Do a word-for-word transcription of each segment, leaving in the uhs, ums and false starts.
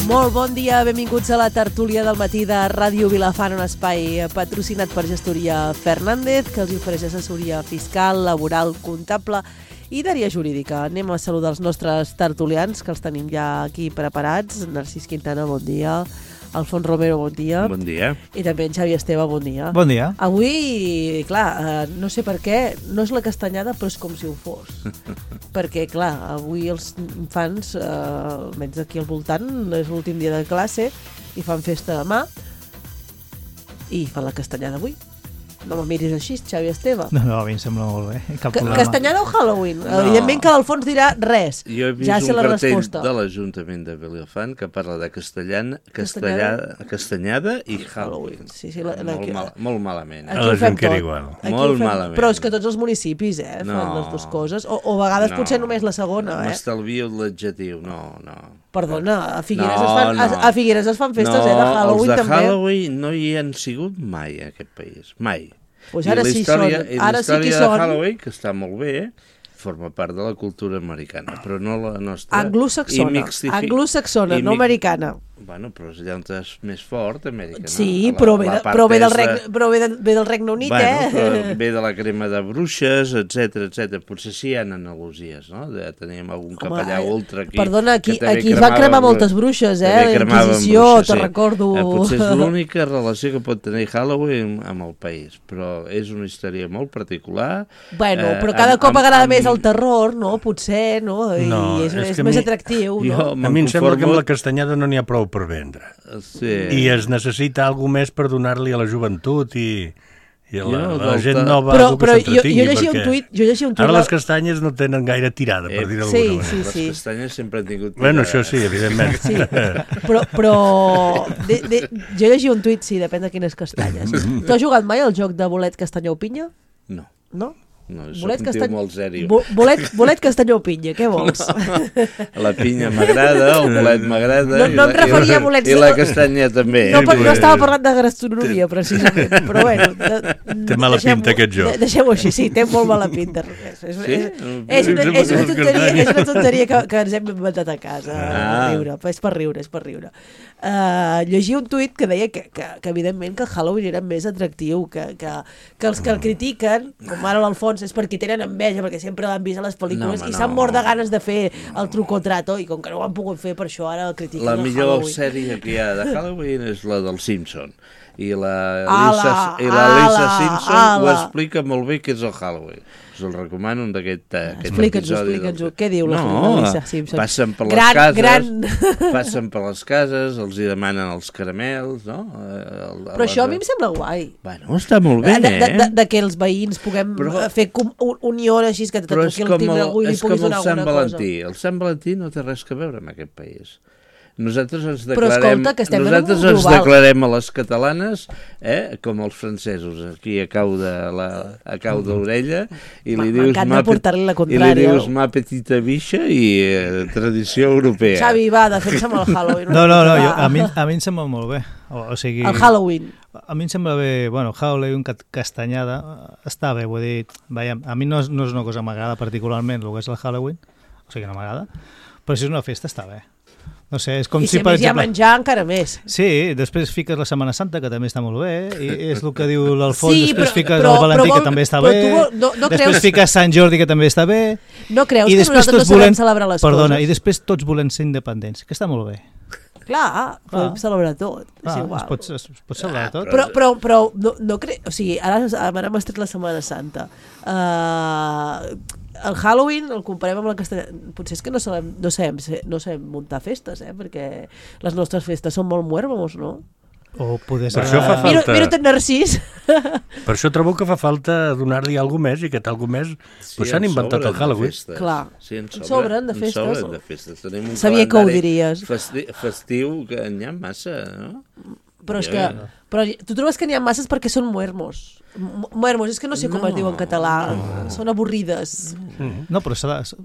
Molt bon dia, benvinguts a la tertúlia del matí de Ràdio Vilafant, un espai patrocinat per Gestoria Fernández, que els ofereix assessoria fiscal, laboral, comptable i d'àrea jurídica. Anem a saludar els nostres tertulians, que els tenim ja aquí preparats. Narcís Quintana, bon dia. Alfons Romero, bon dia. Bon dia. I també en Xavi Esteve, bon dia. Bon dia. Avui, clar, eh, no sé per què, no és la castanyada, però és com si ho fos. Perquè, clar, avui els infants, eh, almenys aquí al voltant, és l'últim dia de classe i fan festa demà i fan la castanyada avui. No me miris així, Xavi Esteve. No, no, a mi em sembla molt bé. Cap C problema. Castanyada o Halloween? No. Evidentment que l'Alfons dirà res. Jo he vist ja sé un la cartell resposta. de l'Ajuntament de Vilafant que parla de castellana, castellada, castanyada i Halloween. Sí, sí, la, la, molt, mal, molt malament. Aquí A ho la fem gent que era tot. igual. Aquí Molt ho fem- malament. Però és que tots els municipis eh, fan No. les dues coses. O, o a vegades No. potser només la segona. Eh? M'estalvio l'adjectiu, no, no. Perdona, a Figueres, No, es, fan, no. a, a Figueres es fan festes no, eh, de Halloween els de també. Halloween no hi han sigut mai a aquest país, mai. Pues I ara la sí història, són. i Ara la sí que hi història de són. Halloween, que està molt bé, forma part de la cultura americana, però no la nostra. Anglosaxona, I mixtifi- anglosaxona, i no mi- americana. Bueno, però és allà on és més fort, Amèrica, no? Sí, La- però, ve, la de, part però, ve del és de- Regne, però ve, de, ve del Regne Unit, bueno, eh? però ve de la crema de bruixes, etcètera, etcètera. Potser sí hi ha analogies, no? De, teníem algun Home, capellà ultra aquí. Perdona, aquí, que també aquí es van cremava cremar bru- moltes bruixes, eh? també La cremaven Inquisició, bruixes, te sí. recordo. Eh, potser és l'única relació que pot tenir Halloween amb el país, però és una història molt particular. Bueno, eh, però cada amb- cop amb- m'agrada amb- més el terror, no? Potser, no? I No, és, és és que a més mi- atractiu, Jo no? A me'n mi em sembla que amb conformo- la castanyada no n'hi ha prou per vendre. Sí. I es necessita alguna més per donar-li a la joventut i, i a la, Jo, a la gent volta- nova Però, algú que però jo, jo s'entretingui. llegia un perquè tuit, jo llegia un tuit... Ara la- les castanyes no tenen gaire tirada, per Eh, dir-ho sí, d'alguna sí, manera. Les castanyes sempre han tingut... Bueno, tirada. això sí, evidentment. Sí, però, però de, de, jo llegia un tuit, sí, depèn de quines castanyes. Tu has jugat mai al joc de bolet, castanya o pinya? No, No? no, soc Bolet, un tio castany... molt sèrio. Bo, bolet, bolet, castanya o pinya, què vols? La pinya m'agrada, el bolet m'agrada... No- i no em la- referia a i la- bolets- I la castanya també. No, per, no estava parlant de gastronomia, precisament, però bueno... De, Té mala deixem-ho- pinta, aquest joc. de- Deixem-ho així, sí, té molt mala pinta. És, és, Sí? és, és, una, és, una, tonteria, és una tonteria que, que ens hem inventat a casa, Ah. ah. riure, és per riure, és per riure. Uh, llegia un tuit que deia que, que, que evidentment que Halloween era més atractiu, que, que, que els que el critiquen, com ara l'Alfons, és perquè tenen enveja, perquè sempre l'han vist a les pel·lícules No, home, i s'han no. mort de ganes de fer el truco o trato, i com que no ho han pogut fer, per això ara el critiquen La el millor Halloween. sèrie que hi ha de Halloween és la del Simpson. I la Ala, Lisa, i la Lisa ala, Simpson ala. ho explica molt bé què és el Halloween. Us el recomano d'aquest aquest Explica'ns-ho, episodi. explica'ns-ho. Què diu la no, Lisa Simpson? Passen per Gran- les cases, gran- passen per les cases, els hi demanen els caramels, no? Eh, El, Però això a mi em sembla guai. Bueno, està molt bé, de, de, de, eh? de que els veïns puguem Però- Però, fer com, un, unió així que te Però és toqui el com timbre el, algú i li és com puguis el donar Sant alguna Valentí. cosa. El Sant Valentí no té res a veure amb aquest país. Nosaltres ens Però declarem, escolta, que estem en un nosaltres món ens global. declarem a les catalanes eh, com els francesos, aquí a cau de la, a cau d'orella, i li dius M'encanta ma, pe- portar-li la i li contrària. dius ma petita bicha i eh, tradició europea. Xavi, va, defensa'm el Halloween. No, no, no, Va. jo, a, mi, a mi em sembla molt bé. O, o sigui, El Halloween. A mi em sembla bé, bueno, Halloween, ca- castanyada, està bé, vull dir, veiem, a mi no és, no és una cosa que m'agrada particularment, el que és el Halloween, o sigui que no m'agrada, però si és una festa està bé. No sé, és com I si si, a per més hi ha exemple... menjar, encara més. Sí, després fiques la Setmana Santa, que també està molt bé, i és el que diu l'Alfons, Sí, després però- fiques però- el Valentí, però vol- que també està però bé, tu vol- no- no després creus- fiques Sant Jordi, que també està bé, No creus i que després nosaltres no tots sabem volem... celebrar les Perdona, i coses? després tots volem ser independents, que està molt bé. Clar, podem Ah. celebrar tot. És Ah, igual. es pot, es, es pot celebrar tot. Però, però, però no, no cre... O sigui, ara, ara m'has tret la Setmana Santa. Uh, el Halloween el comparem amb la castanya... Potser és que no sabem, no sabem, no sabem muntar festes, eh? Perquè les nostres festes són molt muérmamos, no? O poder Per ser... això fa Mira, falta. mira en Narcís. Per això trobo que fa falta donar-li alguna més i aquest alguna més Sí, pues s'han en inventat sobren el Halloween. de festes. Clar. Sí, en En sobren, sobren de en festes. sobren de festes. Tenim un Sabia que ho calendari diries. Festi festiu que n'hi ha massa, no? Però és Ja, que... ja. Però tu trobes que n'hi ha masses perquè són muermos. M- Muermos, és que no sé com No. es diu en català. Són avorrides. No, però s'ha de,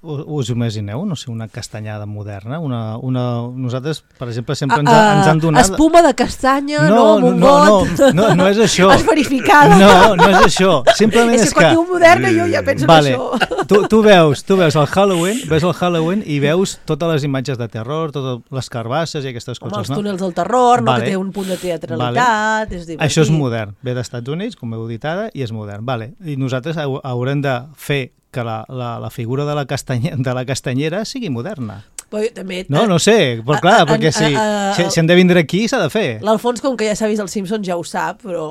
us imagineu, no sé, una castanyada moderna? Una, una... Nosaltres, per exemple, sempre ens, ha, ens han donat... Espuma de castanya, no, no, amb un no, got... No, no, no és això. Has verificada. No, no és això. Simplement és és que... quan que... diu moderna jo ja penso vale. en això. Tu, tu veus, tu veus el Halloween, ves el Halloween i veus totes les imatges de terror, totes les carbasses i aquestes Home, coses, els no? túnels del terror, no, vale. que té un punt de teatralitat, vale. És divertit. Això és modern, ve dels Estats Units, com heu dit ara, i és modern. Vale. I nosaltres haurem de fer que la, la, la figura de la, castanya, de la castanyera sigui moderna. Però també, no, no sé, però clar, a, perquè si, a, a, si, si hem de vindre aquí s'ha de fer. L'Alfons, com que ja s'ha vist els Simpsons, ja ho sap, però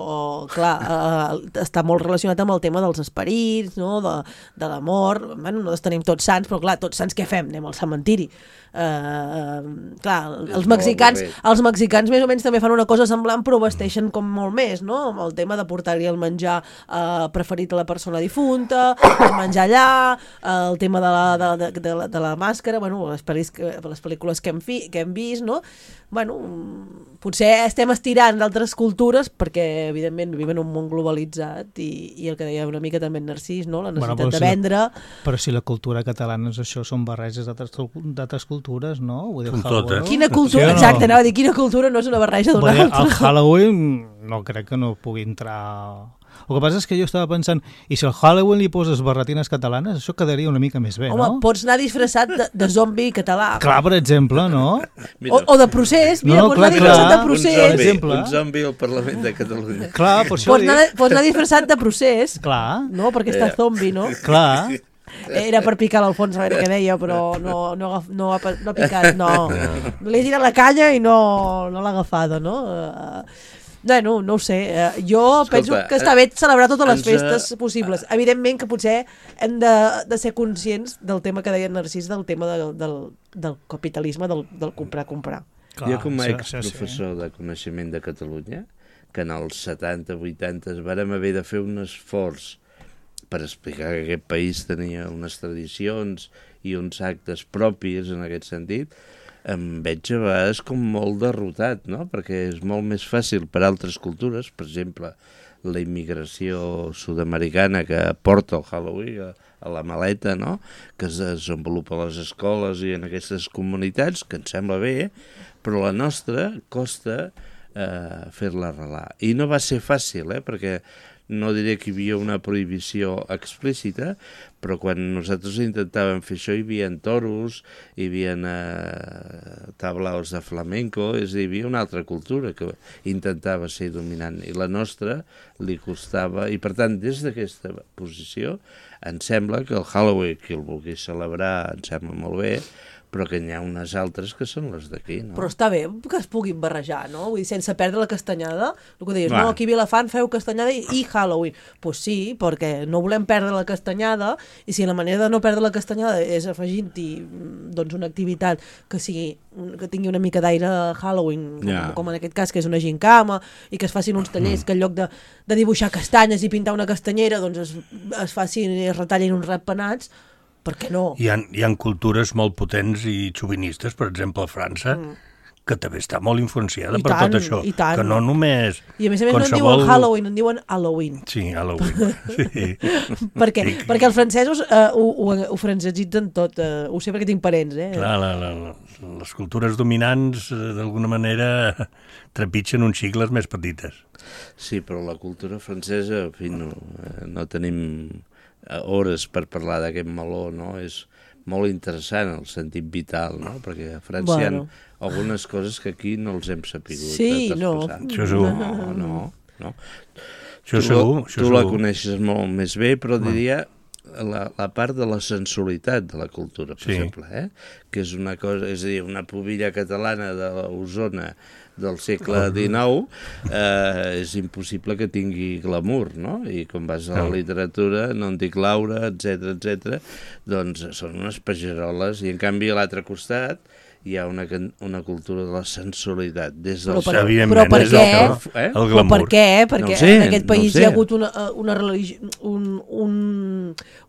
clar, eh, està molt relacionat amb el tema dels esperits, no? de, de l'amor. Bueno, nosaltres tenim tots sants, però clar, tots sants què fem? Anem al cementiri. Uh, clar, els mexicans, els mexicans més o menys també fan una cosa semblant, però vesteixen com molt més, no? Amb el tema de portar-hi el menjar uh, preferit a la persona difunta, el menjar allà, uh, el tema de la, de, de, de, la, de la màscara, bueno, les, pel·lis, les pel·lícules que hem, fi, que hem vist, no? Bueno, potser estem estirant d'altres cultures perquè, evidentment, vivim en un món globalitzat i, i el que deia una mica també en Narcís, no? La necessitat bueno, de si vendre... La, però si la cultura catalana és això, són barreges d'altres cultures, no? Vull dir, totes. Quina cultura, sí, no? Exacte, anava a dir, quina cultura no és una barreja d'una altra. El Halloween no crec que no pugui entrar... El que passa és que jo estava pensant, i si al Halloween li poses barretines catalanes, això quedaria una mica més bé, Home, no? Home, pots anar disfressat de, de zombi català. Clar, per exemple, no? O, o de procés, mira, no, no, pots clar, anar disfressat clar. de procés. Un zombi, un zombi al Parlament de Catalunya. Clar, per això pots, anar, pots anar disfressat de procés. Clar. No, perquè està zombi, no? Clar. Era per picar l'Alfons a veure què deia, però no, no, no, ha, no ha picat, no. Li he tirat la canya i no, no l'ha agafada, no? Uh, Bueno, no ho sé. Jo Escolta, penso que està bé celebrar totes les festes uh... possibles. Evidentment que potser hem de, de ser conscients del tema que deia Narcís, del tema de, del, del capitalisme, del, del comprar-comprar. Jo com a exprofessor de coneixement de Catalunya, que en els setanta vuitanta vàrem haver de fer un esforç per explicar que aquest país tenia unes tradicions i uns actes propis en aquest sentit, em veig a vegades com molt derrotat, no? Perquè és molt més fàcil per altres cultures, per exemple, la immigració sud-americana que porta el Halloween a, a la maleta, no? Que es desenvolupa a les escoles i en aquestes comunitats, que em sembla bé, però la nostra costa eh, fer-la arrelar. I no va ser fàcil, eh? Perquè no diré que hi havia una prohibició explícita, però quan nosaltres intentàvem fer això hi havia toros, hi havia eh, tablaos de flamenco, és a dir, hi havia una altra cultura que intentava ser dominant, i la nostra li costava, i per tant, des d'aquesta posició, em sembla que el Halloween, qui el vulgui celebrar, em sembla molt bé, però que n'hi ha unes altres que són les d'aquí, no? Però està bé que es puguin barrejar, no? Vull dir, sense perdre la castanyada. El que deies, Va. no, aquí a Vilafant feu castanyada i, i Halloween. Doncs pues sí, perquè no volem perdre la castanyada, i si la manera de no perdre la castanyada és afegint-hi doncs, una activitat que sigui que tingui una mica d'aire Halloween, Ja. com, com en aquest cas, que és una gincama, i que es facin uns tallers que en lloc de, de dibuixar castanyes i pintar una castanyera, doncs es, es facin, es retallin uns ratpenats, per què no? Hi ha, hi ha cultures molt potents i xovinistes, per exemple, a França, mm. que també està molt influenciada I per tant, tot això. i tant. Que no només... I a més a més qualsevol... no en diuen Halloween, en diuen Halloween. Sí, Halloween. Sí. Per què? Sí. Perquè els francesos uh, ho, ho, ho francesitzen tot. Uh, ho sé perquè tinc parents, eh? Clar, la, la, la, les cultures dominants, uh, d'alguna manera, trepitgen uns cicles més petites. Sí, però la cultura francesa, en fi, no, no tenim hores per parlar d'aquest meló, no? És molt interessant el sentit vital, no? Perquè a França bueno. hi ha algunes coses que aquí no els hem sapigut sí, no. Això segur. No, no, no. Això tu segur. La, això tu segur. la coneixes molt més bé, però diria la, la part de la sensualitat de la cultura, per sí. exemple, eh? Que és una cosa, és a dir, una pubilla catalana de l'Osona del segle dinou, eh, és impossible que tingui glamour, no? I quan vas a la literatura, no en dic Laura, etcètera, etcètera, doncs són unes pageroles, i en canvi a l'altre costat hi ha una, una cultura de la sensualitat des del... Però per, però per què? Eh? El però per què? Perquè no sé, en aquest país no hi ha hagut una, una, religi un, un,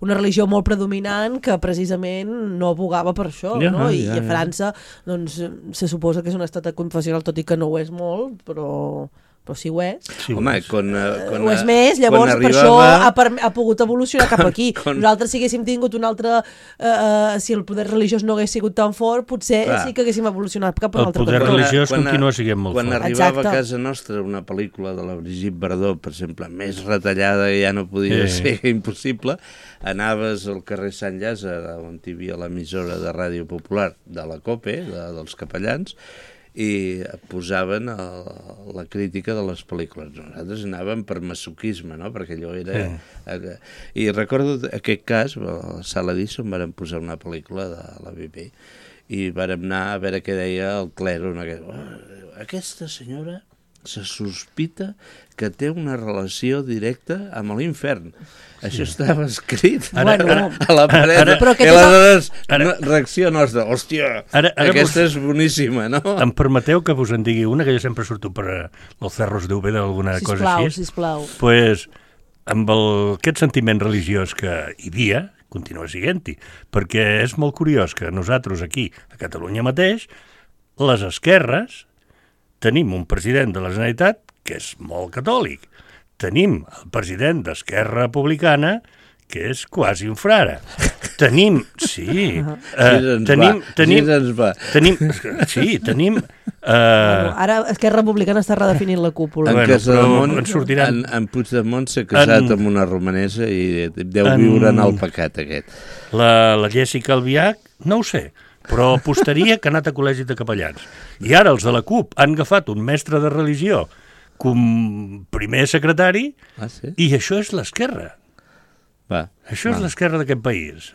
una religió molt predominant que precisament no abogava per això, ja, no? I, ja, ja. I a França doncs, se suposa que és un estat confessional, tot i que no ho és molt, però però si ho és. Sí, home, quan, quan, ho és més, llavors arribava... per això ha, per, ha pogut evolucionar cap aquí. quan... Nosaltres, si haguéssim tingut un altre... Uh, si el poder religiós no hagués sigut tan fort, potser Clar. sí que haguéssim evolucionat cap a un altre El poder cantó. religiós quan, continua sent molt quan fort. Quan arribava Exacte. a casa nostra una pel·lícula de la Brigitte Bardot, per exemple, més retallada i ja no podia sí. ser impossible, anaves al carrer Sant Llàzer, on hi havia l'emissora de Ràdio Popular de la COPE, de, dels capellans, i posaven el, la crítica de les pel·lícules. Nosaltres anàvem per masoquisme, no? Perquè allò era... Sí. I recordo aquest cas, a la Sala Edison vàrem posar una pel·lícula de la B B i vàrem anar a veure què deia el clero. Aquesta senyora se sospita que té una relació directa amb l'infern. Això estava escrit ara, ara, a la paret. Ara, però I aleshores, ara, reacció nostra, hòstia, ara, ara aquesta vos, és boníssima, no? Em permeteu que vos en digui una, que jo sempre surto per els Cerros d'Úbeda o alguna sisplau, cosa així. Sisplau, sisplau. Pues, amb el, aquest sentiment religiós que hi havia, continua sent-hi, perquè és molt curiós que nosaltres aquí, a Catalunya mateix, les esquerres, tenim un president de la Generalitat que és molt catòlic. Tenim el president d'Esquerra Republicana que és quasi un frare. Tenim, sí, uh, uh, tenim, tenim, tenim, sí, tenim... Uh, bueno, ara Esquerra Republicana està redefinint la cúpula. En, bueno, Casademont, en, sortiran... en, en Puigdemont s'ha casat en... amb una romanesa i deu en... viure en el pecat aquest. La, la Jessica Albiach, no ho sé, però apostaria que ha anat a col·legi de capellans. I ara els de la CUP han agafat un mestre de religió com primer secretari ah, sí? i això és l'esquerra. Va, això va. és l'esquerra d'aquest país.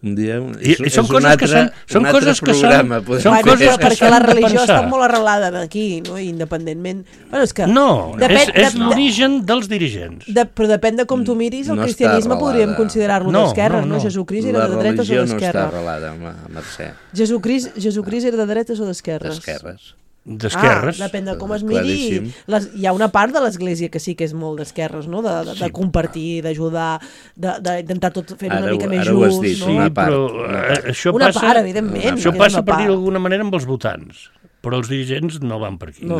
Un dia, I, és, i són és coses altre, que són, són coses que programa, són, són bueno, coses que perquè la religió està molt arrelada aquí, no? Independentment. Bueno, és que no, depèn, és, és de, l'origen dels dirigents. De, però depèn de com tu miris, el no cristianisme podríem considerar-lo no, d'esquerres, no, no, no. Jesucrist era de dretes o d'esquerres. La religió no està arrelada, Mercè. Jesucrist, Jesucrist era de dretes o d'esquerres? D'esquerres. D'esquerres. Ah, depèn de com es miri. Les, hi ha una part de l'Església que sí que és molt d'esquerres, no? De, de, de compartir, d'ajudar, d'intentar tot fer-ho una mica més just. Ara ho has dit, no? una part. Sí, però, eh, això una passa, part, evidentment. Això passa, per dir d'alguna manera, amb els votants, però els dirigents no van per aquí. No,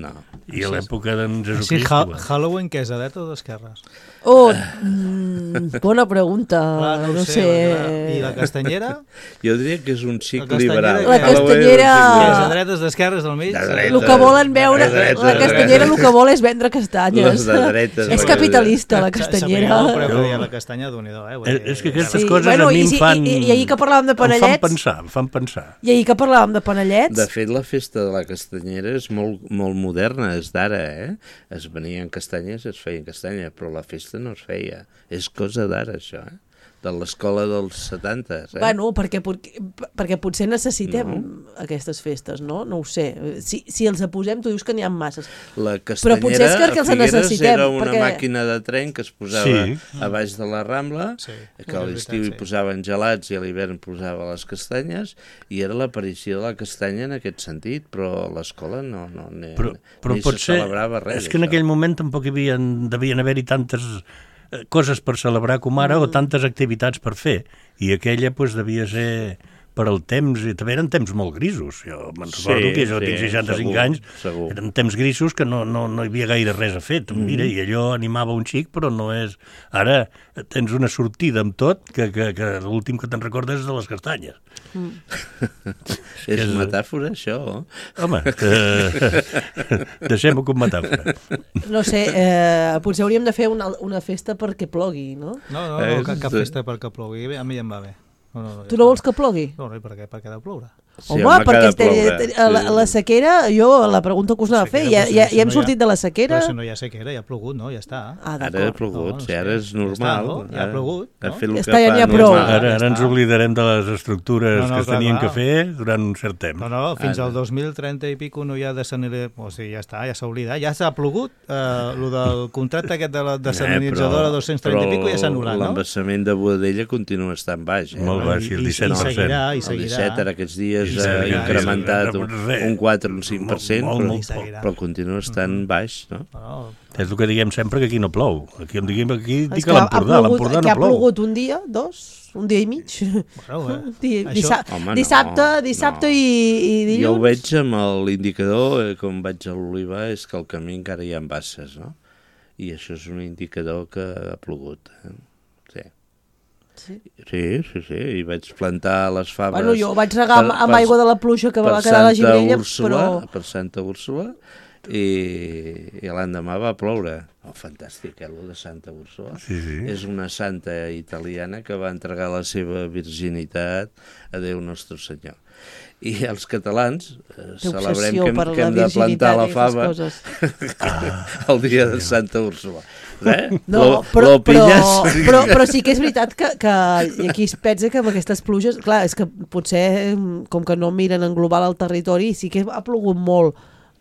no. I a l'època d'en Jesucrist... Sí, ha Halloween, què és, de dreta o d'esquerres? Oh, mm, bona pregunta. Clar, no, no sé. sé. I la castanyera? Jo diria que és un xic liberal. La castanyera... És de dretes, d'esquerres, del mig? De dretes. El que volen veure... Dretes, la castanyera el que vol és vendre castanyes. Les de dretes. És capitalista, la castanyera. No, però jo... la castanya, d'unido, eh? Eh, és que aquestes sí, coses bueno, a mi i, em fan... I, i, i ahir que parlàvem de panellets... Em fan pensar, em fan pensar. I ahir que parlàvem de panellets... De fet, la festa de la castanyera és molt, molt moderna, és d'ara, eh? Es venien castanyes, es feien castanyes, però la festa no es feia. És cosa d'ara, això, eh? De l'escola dels setanta, eh? Bueno, perquè, perquè potser necessitem no. aquestes festes, no? No ho sé. Si, si els posem, tu dius que n'hi ha masses. La castanyera però potser és que, que els necessitem. Era una perquè... màquina de tren que es posava sí. a baix de la Rambla, sí. que a l'estiu hi posaven gelats i a l'hivern posava les castanyes, i era l'aparició de la castanya en aquest sentit, però l'escola no, no ni, però, però ni potser, se celebrava res. És que en aquell moment tampoc hi havia, devien haver-hi tantes coses per celebrar com ara mm. o tantes activitats per fer, i aquella pues, devia ser per al temps, i també eren temps molt grisos. Jo me'n recordo sí, que jo sí, tinc seixanta-cinc segur, anys, segur. Eren temps grisos que no, no, no hi havia gaire res a fer. Mm. Mira, i allò animava un xic, però no és... Ara tens una sortida amb tot que, que, que l'últim que te'n recordes és de les castanyes. Mm. És és metàfora, això? Home, eh, deixem-ho com metàfora. No sé, eh, potser hauríem de fer una, una festa perquè plogui, no? No, no, no cap, cap festa perquè plogui, a mi ja em va bé. No, no, no, tu no vols que plogui? No, no, i per què? Perquè ha de ploure. Sí, home, home perquè este, la, la sequera, jo la pregunta que us anava a fer, ja, ja, ja hem sortit de la sequera... Però si no hi ha sequera, ja ha plogut, no? Ja està. Ah, ara ha plogut, no, no, si ara és normal. Ja, està, no? Ja ha plogut, no? Ja està, ja n'hi ha prou. Ara, ara ens oblidarem de les estructures no, no, que es tenien clar. que fer durant un cert temps. No, no, fins al dos mil trenta i pico no hi ha desalinitzadora, o sigui, ja està, ja s'ha oblidat, ja s'ha plogut, eh, el del contracte aquest de la desalinitzadora eh, dos-cents trenta i pico ja s'ha anul·lat, no? L'embassament de Boadella continua estant baix. Eh? Molt baix, i el disset per cent. I seguirà, i seguirà. El disset ara aquests dies ha incrementat un quatre o un cinc per cent, però, però continua estant baix, no? No, És el que diguem sempre, que aquí no plou. Aquí, diguem, aquí dic És que l'Empordà, l'Empordà no que ha plou. plogut un dia, dos, un dia i mig. Bueno, eh? Di- Això- dissa- Home, no, dissabte, dissabte no. i, i dilluns. Jo ho veig amb l'indicador, eh, com vaig a l'Oliva, és que el camí encara hi ha basses, no? I això és un indicador que ha plogut. Eh? Sí. Sí. Sí, sí, sí, i vaig plantar les faves... Bueno, jo vaig regar amb, amb aigua de la pluja que va quedar a la Gironella, Úrsula, però... per Santa Úrsula, i, i l'endemà va ploure. Oh, fantàstic, eh, el de Santa Úrsula. Sí, sí. És una santa italiana que va entregar la seva virginitat a Déu Nostre Senyor. I els catalans eh, Té celebrem obsessió que, hem- per que la hem de plantar la virginitat i fava aquestes el dia de Santa Úrsula. Eh? No, Lo- però, lo però, pilles? però, però sí que és veritat que, que i aquí es pensa que amb aquestes pluges, clar, és que potser com que no miren en global el territori, sí que ha plogut molt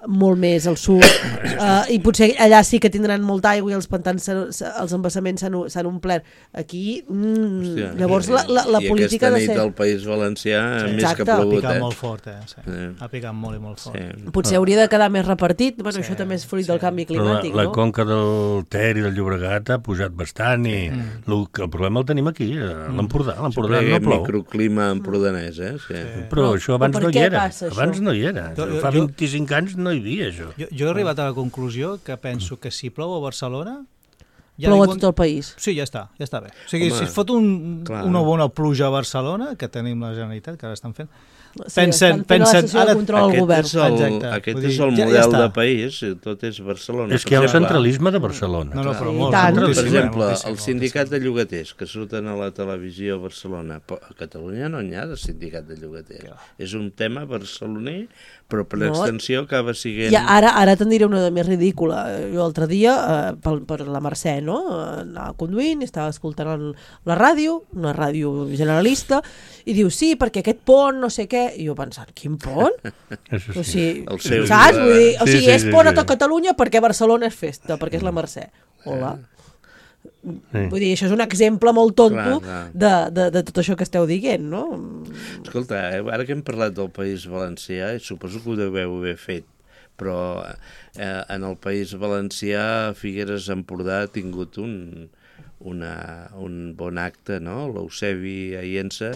molt més al sud uh, i potser allà sí que tindran molta aigua i els pantans, els embassaments s'han omplert. Aquí, mm, Hòstia, llavors sí. la, la, la I política aquesta de nit ser... al País Valencià, Sí. més Exacte. que Ha plogut, picat eh? molt fort, eh? Sí. Sí. Ha picat molt i molt fort. Sí. Potser hauria de quedar més repartit, bueno, Sí, això també és fruit sí. del canvi Però la, climàtic, la no? conca del Ter i del Llobregat ha pujat bastant i Mm. el, el problema el tenim aquí, a l'Empordà. L'Empordà Sempre no plou. microclima empordanès, eh? Sí. Sí. Però això abans Però per no hi què era. passa, això? Abans no hi era. Jo- jo- Fa jo- vint-i-cinc anys no hi havia això. Jo, jo he arribat a la conclusió que penso que si plou a Barcelona... ja Plou a ningú- tot el país. Sí, ja està, ja està bé. O sigui, Home, si es fot un, clar. una bona pluja a Barcelona, que tenim la Generalitat, que ara estan fent, Sí, Pensen- estan fent pensen- la sessió ara- de control al Aquest govern. és el, Exacte. aquest Vull és dir, el ja- ja model està. de país, tot és Barcelona. És que hi ha el Per exemple, centralisme de Barcelona. No, no, Sí, però i molt, tant. Per moltíssim, exemple, moltíssim, el sindicat de llogaters que surten a la televisió a Barcelona, però a Catalunya no n'hi ha de sindicat de llogaters. És un tema barceloní, però per No. extensió acaba sent... I ara, ara te'n diré una de més ridícula. Jo l'altre dia, eh, per, per la Mercè, no? Anava conduint, estava escoltant la ràdio, una ràdio generalista, i diu, sí, perquè aquest pont, no sé què, i jo pensant, quin pont? Això O sí. sigui, El seu, saps? Vull dir, o Sí, sigui, sí, és sí, pont a sí. tot Catalunya perquè Barcelona és festa, perquè és la Mercè. Hola. Sí. Vull dir, això és un exemple molt tonto Clar, clar. de, de, de tot això que esteu dient, no? Escolta, eh, ara que hem parlat del País Valencià, i suposo que ho deveu haver fet, però eh, en el País Valencià Figueres Empordà ha tingut un, una, un bon acte, no? L'Eusebi Aiensa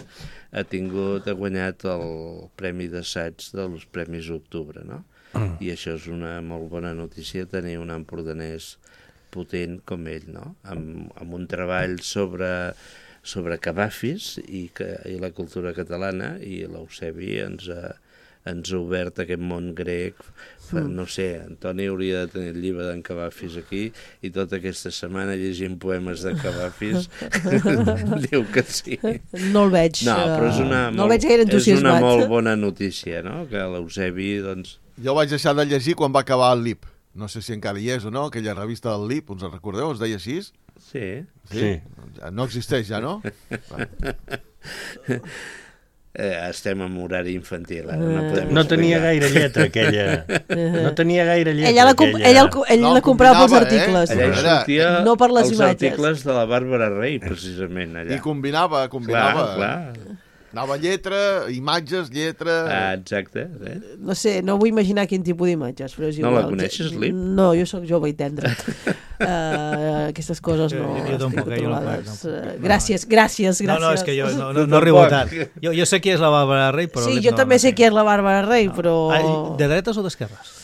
ha tingut, ha guanyat el Premi d'Assaig dels Premis Octubre, no? Mm. I això és una molt bona notícia, tenir un empordanès potent com ell, no? Amb, amb un treball sobre, sobre cabafis i, que, i la cultura catalana, i l'Eusebi ens ha, ens ha obert aquest món grec. Fa, no sé, Antoni hauria de tenir el llibre d'en Cabafis aquí i tota aquesta setmana llegint poemes de Cabafis diu que sí. No el veig, No, però és una, no el molt, veig gaire és una entusiasmat. molt bona notícia, no? Que l'Eusebi, doncs... Jo vaig deixar de llegir quan va acabar el L I P. No sé si encara hi és o no, aquella revista del L I P, us en recordeu? Es deia així? Sí. Sí. No existeix ja, no? Eh, estem en horari infantil, ara no podem No tenia explicar. gaire lletra, aquella. No tenia gaire lletra, Ella la, comp aquella. ella, el- ell No, la comprava pels combinava, eh? articles. Allà hi Era- sortia No per les els imatges. articles de la Bàrbara Rey, precisament, allà. I combinava, combinava. Clar, clar. Anava lletra, imatges, lletra... Ah, exacte. Eh? No sé, no vull imaginar quin tipus d'imatges. Però és No la igual. coneixes, Lip? No, jo sóc jove i tendre. uh, aquestes coses no, Jo- jo tampoc, estic jo no controlades. puc, no puc. Eh, gràcies, gràcies, gràcies. No, no, és que jo no, no, Tu no arribo tampoc. tant. Jo, jo sé qui és la Bàrbara Rey, però... Sí, l'Ip jo no, també no sé sé. qui és la Bàrbara Rey, però... Ah, de dretes o d'esquerres?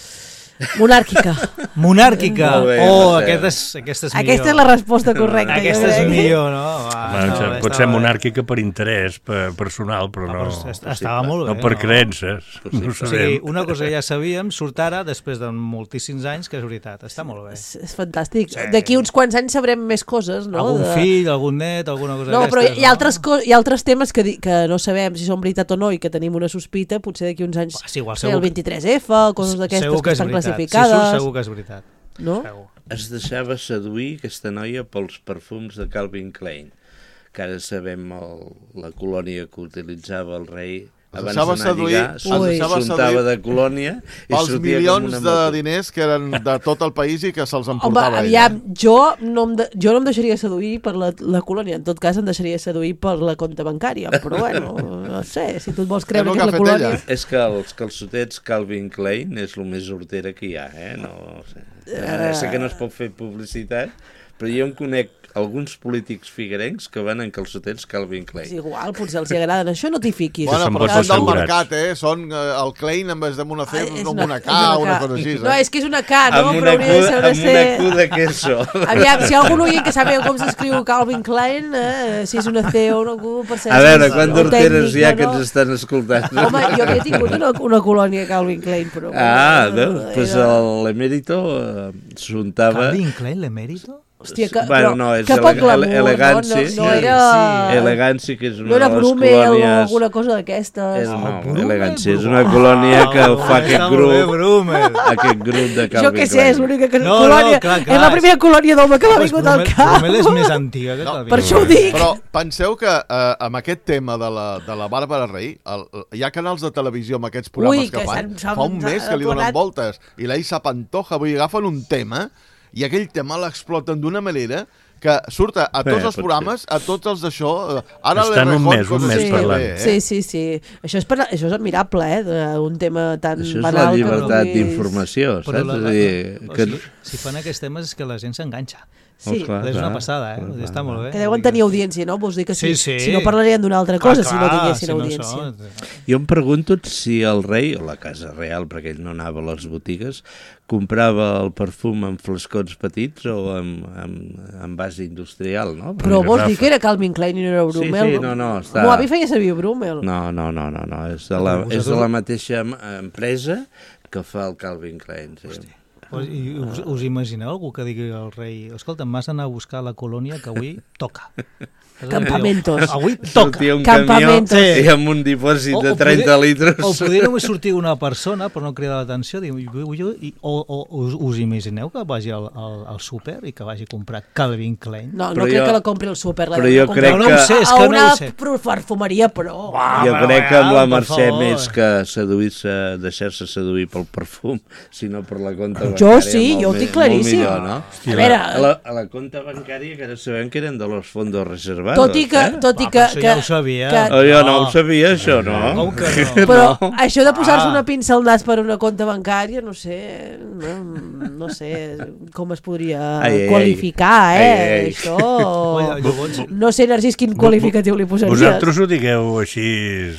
Monàrquica. Monàrquica! Molt bé, Oh, Mercè. aquesta és, aquesta és millor. Aquesta és la resposta correcta. jo Aquesta és crec. millor, no? Va, Home, estava bé, pot ser estava bé. monàrquica per interès per personal, però Ah, no, però est- estava molt bé. no per creences. Possible. No ho O sigui, sabem. una cosa que ja sabíem surt ara, després de moltíssims anys, que és veritat. Està molt bé. És, és fantàstic. Sí. D'aquí uns quants anys sabrem més coses, no? Algun De- fill, algun net, alguna cosa No, però d'aquestes, hi ha, altres co hi ha altres temes que, di que no sabem si són veritat o no i que tenim una sospita, potser d'aquí uns anys Ah, sí, igual, sé, segur el vint-i-tres F, coses d'aquestes segur que, és estan veritat. classificades. Si surt, segur que és veritat. No? Segur. Es deixava seduir aquesta noia pels perfums de Calvin Klein, que ara sabem el, la colònia que utilitzava el rei abans d'anar a lligar, s'untava de colònia i pels sortia milions com una de moto. diners que eren de tot el país i que se'ls Home, emportava aviam, ella. jo no, em de, jo no em deixaria seduir per la, la colònia, en tot cas em deixaria seduir per la compta bancària, però bueno, no sé, si tu et vols creure És el que és que ha la fet colònia... ella. És que els calçotets Calvin Klein és el més hortera que hi ha, eh? No, sé. Uh... sé que no es pot fer publicitat, però jo en conec alguns polítics figuerencs que van en calçotets Calvin Klein. És igual, potser els hi agraden això, no t'hi fiquis. Bueno, són però vots són del assegurats. mercat, eh? Són eh, el Klein en vez de una C, Ah, és no una- una és K, una una K. cosa així. No, Eh? és que és una K, no? amb Però una, hauria de cu, ser una amb C. una Q de queso. Aviam, si hi ha algun oient que sàpiga com s'escriu Calvin Klein, eh, si és una C o una Q, per ser... A veure, o quant d'horteres hi ha tècnica, que no? ens estan escoltant? Home, jo havia tingut una, una colònia Calvin Klein, però... Ah, bueno, veus? Pues era- l'emèrito eh, s'untava... Calvin Klein, l'emèrito? Hòstia, que, Bueno, però, no, és que poc ele- glamour, ele- elegància. no? No, no Sí, era... sí. Elegància, que és una No era de les Brumel o colònies... alguna cosa d'aquestes. És, no, Brumel, elegància, és Brumel. una colònia que Ah, fa aquest està molt bé, grup, Brumel. aquest grup de Calvin Jo què sé, és l'única que... No, no, colònia, clar, clar. és la primera colònia d'home que m'ha Pues vingut al Brumel, cap. Brumel és més antiga que No, Calvin per això ho Klein. dic. Però penseu que eh, amb aquest tema de la, de la Bàrbara Rey, el, hi ha canals de televisió amb aquests programes Ui, que, que fan, s'han- s'han fa un mes que li donen aplanat. voltes, i la Isa Pantoja, vull dir, agafen un tema i aquell tema l'exploten d'una manera que surt a, a tots Bé, els pot programes, a tots els d'això. eh, Ara Estan un l'Errejón, mes, un coses mes així, parlant. bé, eh? Sí, sí, sí. Això és, per, això és admirable, eh? de- Un tema tan Això és banal la llibertat que puguis- d'informació, Però saps? la, És la, a dir, o que... sigui, si fan aquests temes és que la gent s'enganxa. Sí, Oh, clar, És una clar, passada, eh? clar, Vull dir, Està clar. molt bé. que deuen tenir audiència, no? Vols dir que si, Sí, sí. si no parlarien d'una altra cosa si no tinguessin si audiència. No són- Jo em pregunto si el rei, o la casa real, perquè ell no anava a les botigues, comprava el perfum en flascons petits o en, en, en base industrial, no? Però Perquè- vols dir que era Calvin Klein i no era Sí, Brumel? sí, no, no, està- El meu avi feia servir Brumel. No, no, no, no, no. És, de la, Vosaltres- és de la mateixa em- empresa que fa el Calvin Klein. Sí. Us, i us, us imagineu algú que digui al rei escolta, m'has d'anar a buscar la colònia que avui toca. Campamentos. Avui toca. Sortia un Campamentos. camió i amb un dipòsit O- de o trenta poder- litres. O poder només sortir una persona per no cridar l'atenció, diu, jo- jo- i- o, o us, us imagineu que vagi al, al, al súper i que vagi a comprar Calvin Klein? No, no Però crec jo- que la compri al súper. La però deu jo comprar crec a No, no ho sé, és que no una ho sé. perfumeria, però... Va, Jo va, crec que amb va, la per Mercè favor. més que seduir-se, deixar-se seduir pel perfum, sinó per la compta bancària. Jo sí, molt jo ho me- tinc claríssim. Molt millor, no? A veure, A la, a la compta bancària, que ara sabem que eren de los fondos reservados. tot i que... Eh? Tot i Va, que, però això que, ja ho sabia. que- Oh, jo no ho sabia, això, no? Com que no? Però això de posar-se Ah. una pinça al nas per una compta bancària, no sé, no, no sé com es podria Ai, ai, qualificar, ai. eh? Ai, ai. Això... Oi, llavors, No sé, Narcís, quin qualificatiu li posaries. Vosaltres ho digueu així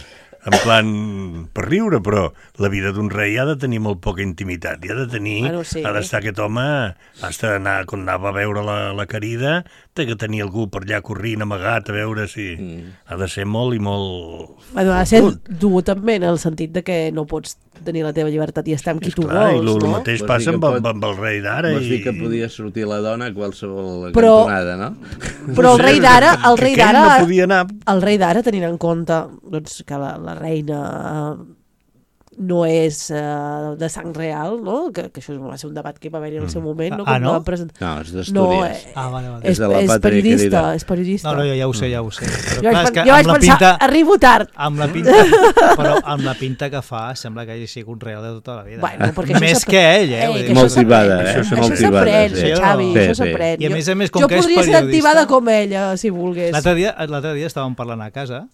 en plan per riure, però la vida d'un rei ha de tenir molt poca intimitat, i ha de tenir, Bueno, sí. ha d'estar aquest home, ha d'anar, quan anava a veure la, la querida, té que tenir algú per allà corrint, amagat, a veure si... Mm. Ha de ser molt i molt... Bueno, ha de ser dur també en el sentit de que no pots tenir la teva llibertat i estar amb qui tu Clar, i vols, el no? mateix Vols passa dir amb, que amb, pot- amb el rei d'ara. Vols dir i... que podia sortir la dona a qualsevol Però- cantonada, no? Però el rei d'ara, el Que rei aquell d'ara, no podia anar... el rei d'ara, tenint en compte doncs, que la, la reina eh, no és eh, de sang real, no? Que, que això va ser un debat que va haver-hi en el seu moment. No? Ah, Quan no? la present- No, és No, d'Astúries. eh, ah, vale, vale. és, És de la és pàtria periodista, querida. és periodista. No, no, jo ja ho sé, ja ho sé. Però, Jo clar, vaig, és que jo vaig amb la pensar, pinta, arribo tard. amb la pinta, però amb la pinta que fa sembla que hagi sigut un real de tota la vida. Bueno, perquè això Més s'aprèn. que ell, eh? Ei, Vull que dir, això Motivada, s'aprèn. eh? Això Motivada, s'aprèn, sí. Xavi, Sí, això sí. s'aprèn. I a més a més, com jo que és podria ser periodista- activada com ella, si volgués. L'altre dia, l'altre dia estàvem parlant a casa,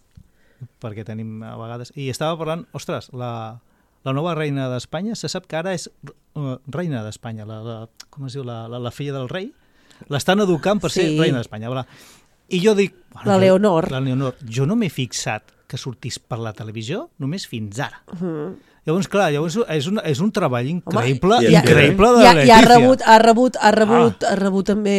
perquè tenim a vegades, i estava parlant, ostres, la, la nova reina d'Espanya, se sap que ara és uh, reina d'Espanya, la, la, com es diu, la, la, la filla del rei, l'estan educant per ser Sí. reina d'Espanya. Bla. I jo dic... Bueno, La jo- Leonor. La Leonor. Jo no m'he fixat que sortís per la televisió només fins ara. Mhm. Llavors, clar, llavors és un, és un treball increïble, Home, Home, i- increïble de I, ha, la i ha Letícia. rebut, ha rebut, ha rebut, Ah. ha rebut també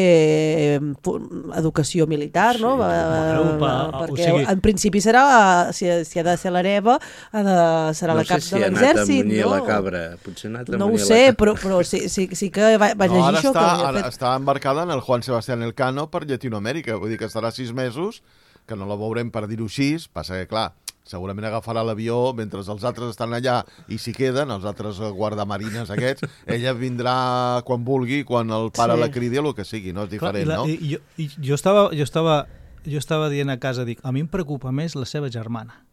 eh, pu- educació militar, no? Va, bueno, pa- o perquè sigui- en principi serà, si, si ha de ser l'hereva, ha de, serà No la cap sé si de ha anat a l'exèrcit, munyir no? la cabra. Potser ha anat a No ho munyir sé, la cabra. però, però sí, sí, sí que va, va No, llegir ara això. està, que havia ara fet. està embarcada en el Juan Sebastián Elcano per Llatinoamèrica. Vull dir que estarà sis mesos, que no la veurem per dir-ho així. Passa que, clar, segurament agafarà l'avió mentre els altres estan allà i s'hi queden, els altres guardamarines aquests. Ella vindrà quan vulgui, quan el pare Sí. la cridi, o el que sigui, no? És Clar, diferent, i la, no? I, jo, i jo, estava, jo, estava, jo estava dient a casa, dic, a mi em preocupa més la seva germana.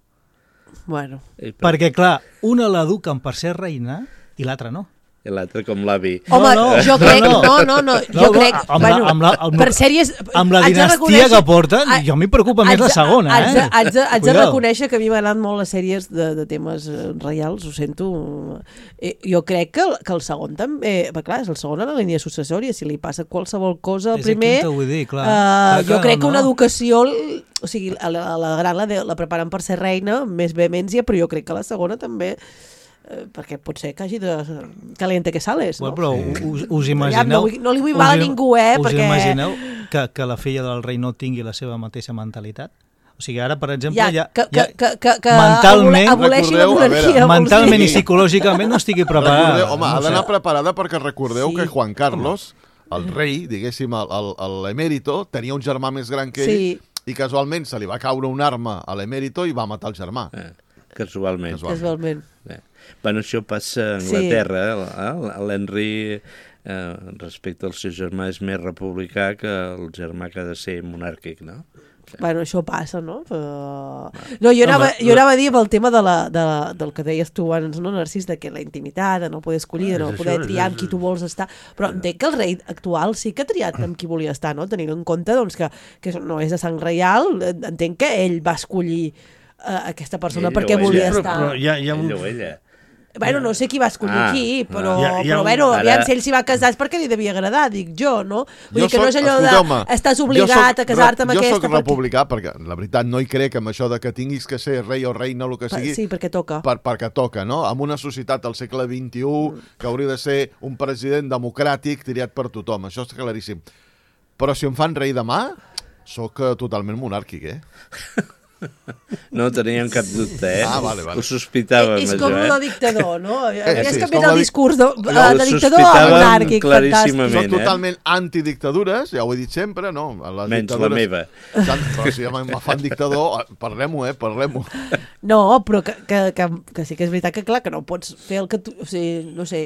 Bueno. I per... Perquè, clar, una l'eduquen per ser reina i l'altra no. I l'altre com l'avi. Home, no, no, jo crec... no, No, no, no, jo no, crec... amb la- bueno, amb la- amb- per sèries... Amb la haig de dinastia reconèixer- que porten, jo m'hi preocupa més haig la de- segona, haig de- eh? Haig de, haig de Cuidao. reconèixer que a mi m'agraden molt les sèries de, de temes eh, reials, ho sento. Eh, jo crec que el, que el segon també... Eh, clar, és el segon en la línia successòria, si li passa qualsevol cosa al És primer... aquí on t'ho vull dir, clar. eh, Clar, jo clar, crec que no. una educació... O sigui, a la, a la gran la, de, la preparen per ser reina, amb més vehemència, però jo crec que la segona també... Eh, perquè pot ser que hagi de... Caliente que sales, no? Bueno, però us, us Ja, imagineu... no vull- no li vull mal a us im- ningú, eh, Us perquè- imagineu que, que la filla del rei no tingui la seva mateixa mentalitat? O sigui, ara, per exemple, Ja, ja, que, ja que, que, que, que mentalment- aboleixi la Recordeu, a veure, monarquia. vols mentalment dir? i psicològicament no estigui preparada. Recordeu, home, ha No sé. d'anar preparada perquè recordeu Sí. que Juan Carlos, el rei, diguéssim, el- el- el- l'emèrito, tenia un germà més gran que ell Sí. i casualment se li va caure un arma a l'emèrito i va matar el germà. Eh, casualment. Casual. Casualment. Eh. Bueno, això passa a Sí. Anglaterra. Eh? L'Henry, eh, respecte al seu germà, és més republicà que el germà que ha de ser monàrquic, no? Bueno, això passa, no? Però... No, jo anava, jo anava a dir amb el tema de la, de la, del que deies tu abans, no, Narcís, de que la intimitat, de no poder escollir, de no És poder això, triar és- amb qui tu vols estar. Però entenc que el rei actual sí que ha triat amb qui volia estar, no? Tenint en compte doncs, que, que no és de sang reial, entenc que ell va escollir uh, aquesta persona Ell o perquè ella. volia Però, estar. però hi ha, hi ha un... Ell o ella. Bueno, no sé qui va escollir Ah, qui, però, Hi ha- hi ha però un- bueno, Ara- aviam, si ell s'hi va casar és perquè li devia agradar, dic jo, no? Vull Jo dir que no és soc- allò escolteu-me, de estàs jo obligat soc a casar-te amb re- aquesta... Jo soc perquè- republicà perquè, la veritat, no hi crec amb això de que tinguis que ser rei o reina o el que Pa- sigui Sí, perquè toca. per, perquè toca, no? En una societat al segle vint-i-u que hauria de ser un president democràtic triat per tothom, això és claríssim. Però si em fan rei demà, sóc eh, totalment monàrquic, eh? No teníem cap dubte, eh? Ah, vale, vale. Ho sospitàvem, és això, com eh? el dictador, no? sí, Has és canviat com el la dic- discurs de, Jo de, ho de dictador a sospitàvem monàrquic, claríssimament. fantàstic. Soc eh? totalment antidictadures, ja ho he dit sempre, no? A les Menys la dictadures- meva. Tant, però si ja me fan dictador, parlem-ho, eh? Parlem-ho. No, però que, que, que, que sí que és veritat que, clar, que no pots fer el que tu... O sigui, no sé,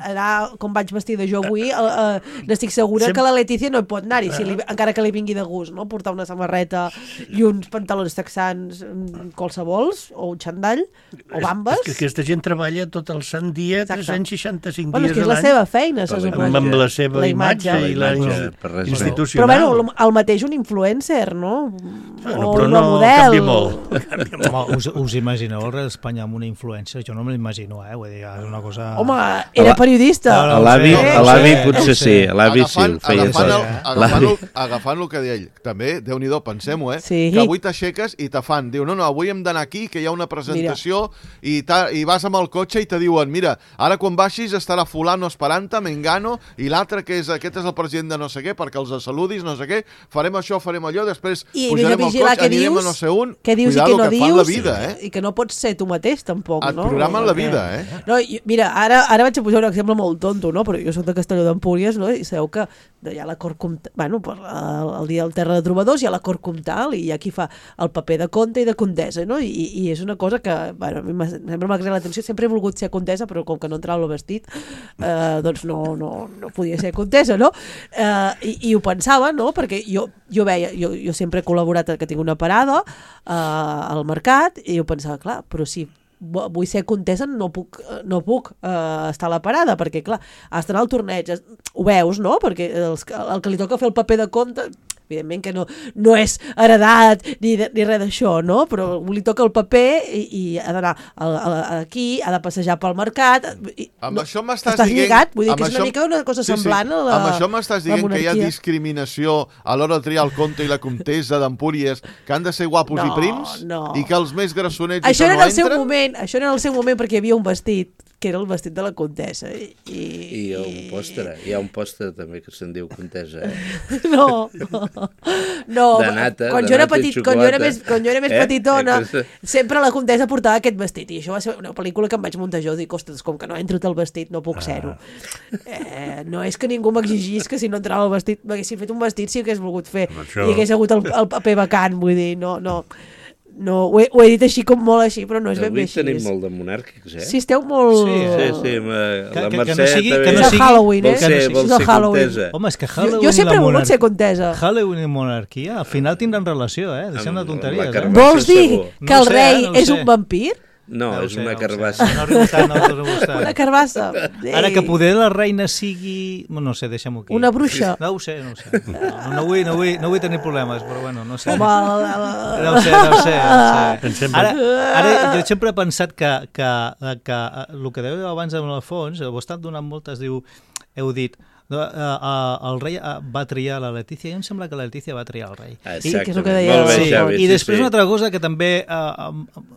anar com vaig vestida jo avui, uh, uh, n'estic segura Sem- que la Letícia no hi pot anar-hi, si li, encara que li vingui de gust, no? Portar una samarreta i uns pantalons texans mm, qualsevols, o un xandall, o bambes. És que aquesta gent treballa tot el sant dia, Exacte. tres-cents seixanta-cinc Bueno, és dies que és a la l'any. seva feina, se Però la suposa. amb, amb la seva La imatge, imatge. i la La imatge, ins- per res més. institucional. Però bueno, el, el mateix un influencer, no? Bueno, o però un no model. canvia molt. Canvia molt. Home, us, us imagineu el rei d'Espanya amb una influència? Jo no me l'imagino, eh? Vull dir, és una cosa... Home, era La- periodista. No, A l'avi no ho sé, a l'avi no ho sé, potser no ho sí, sé. a l'avi sí, ho feia agafant, el, això. agafant, el, agafant el que deia ell, també, Déu-n'hi-do, pensem-ho, eh? Sí. Que avui t'aixeques i te fan, diu, no, no, avui hem d'anar aquí, que hi ha una presentació, i, ta, i vas amb el cotxe i te diuen, mira, ara quan baixis estarà fulano esperant-te, Mengano, i l'altre, que és aquest és el president de no sé què, perquè els saludis, no sé què, farem això, farem allò, després I pujarem al vigilar cotxe, què anirem dius, a no sé on. què dius Cuidado, i què no que dius, fan la vida, eh? i que no pots ser tu mateix, tampoc, Et no? programen la Perquè- vida, eh? No, jo, mira, ara, ara vaig a posar un exemple molt tonto, no? Però jo soc de Castelló d'Empúries, no? I sabeu que hi ha la cort comtal, bueno, per, el, el dia del Terra de Trobadors hi ha la cort comtal i hi ha qui fa el paper de comte i de comtessa, no? I, i és una cosa que, bueno, a mi m'ha- sempre m'ha cridat l'atenció, sempre he volgut ser comtessa, però com que no entrava el vestit, eh, doncs no, no, no podia ser comtessa, no? Eh, i, I ho pensava, no? Perquè jo, jo veia, jo, jo sempre he col·laborat, que tinc una parada eh, al mercat, i jo pensava, clar, però si vull ser contessa, no puc, no puc uh, estar a la parada, perquè clar, has d'anar al torneig, has, ho veus, no? Perquè els, el que li toca fer el paper de compte, evidentment que no, no és heredat ni, de, ni res d'això, no? Però li toca el paper i, i ha d'anar aquí, ha de passejar pel mercat, i, Amb no, això m'estàs estàs dient... lligat, vull dir amb que és una això- mica una cosa Sí, sí. semblant a la Amb això m'estàs la dient que hi ha monarquia. discriminació a l'hora de triar el comte i la comtessa d'Empúries, que han de ser guapos No, i prims, no. i que els més grassonets Això i era que en no el seu entren... moment, això era en el seu moment perquè hi havia un vestit que era el vestit de la comtessa i, i, I hi ha un pòster, hi ha un pòster també que se'n diu contesa, eh? no, no, no De nata, quan de jo era nata i petit, quan jo era xocolata. més, quan jo era més Eh? petitona Eh, que sempre la comtessa portava aquest vestit i això va ser una pel·lícula que em vaig muntar jo, dic, ostres, com que no entro el vestit no puc ser-ho eh, no és que ningú m'exigís que si no entrava el vestit m'haguessin fet un vestit si hagués volgut fer Això- i hagués hagut el, el paper vacant, vull dir, no, no No, ho he, ho he dit així com molt així, però no és ben bé així. Avui tenim molt de monàrquics, eh? Sí, esteu molt... Sí, sí, sí ma... que, la que, Mercè que no sigui, també... que no és el sigui... Halloween, eh? Vol ser, vol ser contesa. Home, és que Halloween jo, jo sempre he i la volgut ser contesa. Halloween i monarquia, al final tindran relació, eh? Deixem de tonteries, eh? Vols dir segur. que No el sé, rei no ho és sé. un vampir? No, No és sé, una no carbassa. No arribo tant, no arribo tant. Una carbassa. Ara que poder la reina sigui... No sé, deixem-ho aquí. Una bruixa. No ho sé, no ho sé. No, no, vull, no, vull, no vull tenir problemes, però bueno, no sé. Home, la, la... No ho sé, no ho sé. No ho sé. Ara, ara, jo sempre he pensat que, que, que el que dèieu abans amb l'Alfons, ho he estat donant moltes, diu, heu dit, no, uh, uh, el rei uh, va triar la Letícia, i em sembla que la Letícia va triar el rei. Exactament, que és el que deia molt bé, Sí, Xavi. I sí, després sí. una altra cosa que també uh, um,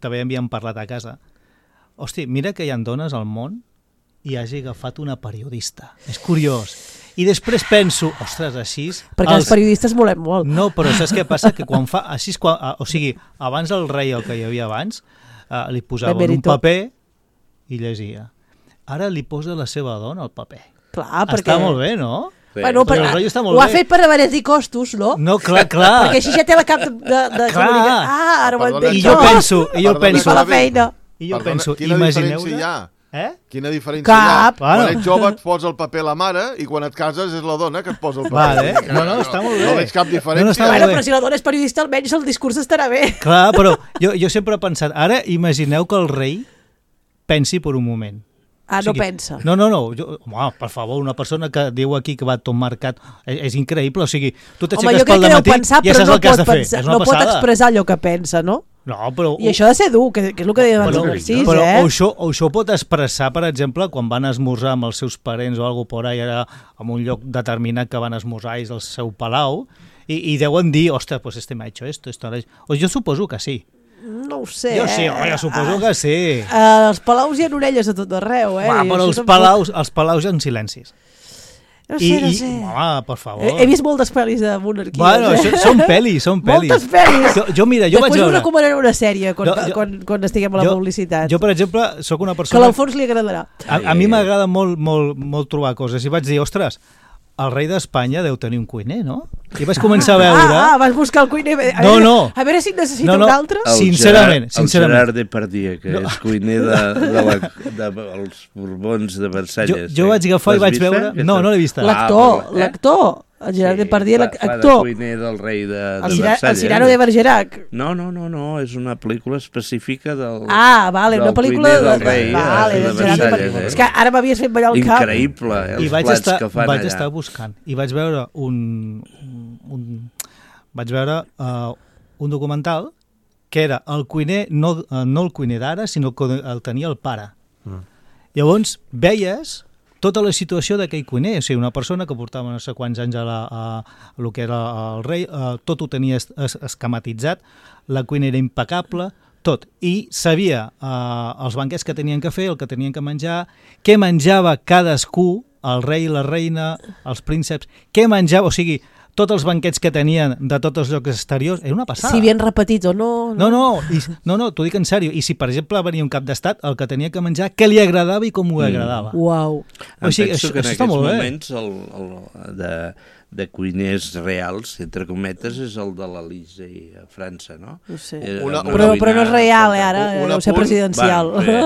també havíem parlat a casa. Hosti, mira que hi ha dones al món i hagi agafat una periodista. És curiós. I després penso, ostres, així... Perquè els periodistes volem molt. No, però saps què passa? Que quan fa... Així, quan, o sigui, abans el rei, el que hi havia abans, uh, li posaven un paper i llegia. Ara li posa la seva dona al paper. Clar, perquè... Està molt bé, no? Bueno, per, el rei està molt ho ha bé. fet per abaratir costos, no? No, clar, clar. Perquè així ja té la cap de... de, de Clar. comunicar. Ah, ara ho Perdona, entenc. I jo penso, i jo Perdona, penso... I fa la feina. I jo Perdona, penso, quina imagineu... diferència hi ha? Eh? Quina diferència Cap. hi ha? Bueno. Quan ets jove et posa el paper la mare i quan et cases és la dona que et posa el paper. Vale. No, no, està molt bé. No veig cap diferència. No, no, està Bueno, molt bé. però si la dona és periodista, almenys el discurs estarà bé. Clar, però jo, jo sempre he pensat, ara imagineu que el rei pensi per un moment. Ah, O sigui, no pensa. No, no, no. Jo, home, per favor, una persona que diu aquí que va tot marcat és, és increïble. O sigui, tu Home, t'aixeques jo crec pel que deu dematí pensar, i ja però saps no el que has pot, de fer. pensar, És una no pot passada. expressar allò que pensa, no? No, però... I això ha de ser dur, que, que és el que deia abans Però, el Narcís, però eh? o, això, o això pot expressar, per exemple, quan van esmorzar amb els seus parents o alguna por ahí, ara, en un lloc determinat que van esmorzar és el seu palau, i, i deuen dir, ostres, pues este m'ha hecho esto, esto... O jo suposo que sí. No ho sé, Jo sí, eh? home, jo suposo que sí. Uh, els palaus hi ha orelles a tot arreu, eh? Va, I però això els tampoc- palaus, els palaus en silencis. No sé, I, no i, sé. home, per favor. He, he vist moltes pel·lis de monarquies, Bueno, eh? això, són pel·lis, són pel·lis. Moltes pel·lis. Jo, jo mira, jo Després vaig us veure... recomanaré una sèrie quan, Jo- jo- quan, quan estiguem a la jo, publicitat. Jo, per exemple, sóc una Que a persona... l'Alfons li agradarà. A, a mi m'agrada molt, molt, molt trobar coses. I vaig dir, ostres, el rei d'Espanya deu tenir un cuiner, no? I vaig començar a veure... Ah, ah, vas buscar el cuiner. A No, veure, no. A veure si en necessito No, no. un altre. El Sincerament, Gerard, sincerament. El Gerard Depardieu, que No. és cuiner de, de, la, de, els Borbons de Versalles. Jo, jo vaig agafar i L'has vaig vista, veure... aquesta? No, no l'he vista. L'actor, Ah, però- eh? l'actor. El Gerard Sí, Depardieu, fa- Fa de l'actor. cuiner del rei de, de El, Cira, el Versalles. Cirano de Bergerac. No, no, no, no, és una pel·lícula específica del... Ah, vale, del una pel·lícula cuiner del de- rei, vale, de del Gerard Versalles, Depardieu. eh? És que ara m'havies fet ballar el cap. Increïble, eh, els I vaig plats estar, que fan vaig allà. estar buscant. I vaig veure un... un vaig veure uh, un documental que era el cuiner, no, uh, no el cuiner d'ara, sinó que el tenia el pare. Mm. Llavors, veies tota la situació d'aquell cuiner, o sigui, una persona que portava no sé quants anys a, la, a, a lo que era el rei, uh, tot ho tenia es, es, esquematitzat, la cuina era impecable, tot, i sabia uh, els banquets que tenien que fer, el que tenien que menjar, què menjava cadascú, el rei, la reina, els prínceps, què menjava, o sigui, tots els banquets que tenien de tots els llocs exteriors, era una passada. Si ben repetit o no. No, no, i, no, no, t'ho dic en sèrio. I si, per exemple, venia un cap d'estat, el que tenia que menjar, què li agradava i com ho agradava. Uau. Em O sigui, penso això, que en això està aquests molt bé. moments el, el, de, de cuiners reals, entre cometes, és el de l'Elysée a França, no? No sé. Eh, Una- una Però, cuina però no és real, eh, ara. Un- un Deu ser apunt. presidencial. Va, bé.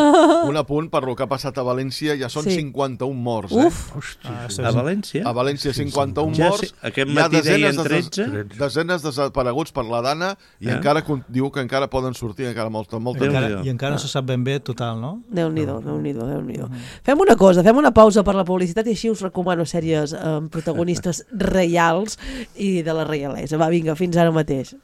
Un apunt per lo que ha passat a València, ja són Sí. cinquanta-un morts, eh? Uf. Ah, això A és- València? A València cinquanta-un Ja morts, sé, aquest hi ha matí deien desenes de, tretze. desenes de desapareguts per la dana i Eh? encara con- diu que encara poden sortir encara molta, molta Déu-n'hi-do. gent. Encara, I encara no se sap ben bé total, no? Déu-n'hi-do, Déu-n'hi-do, Déu-n'hi-do. Fem una cosa, fem una pausa per la publicitat i així us recomano sèries amb protagonistes reials i de la reialesa. Va, vinga, fins ara mateix.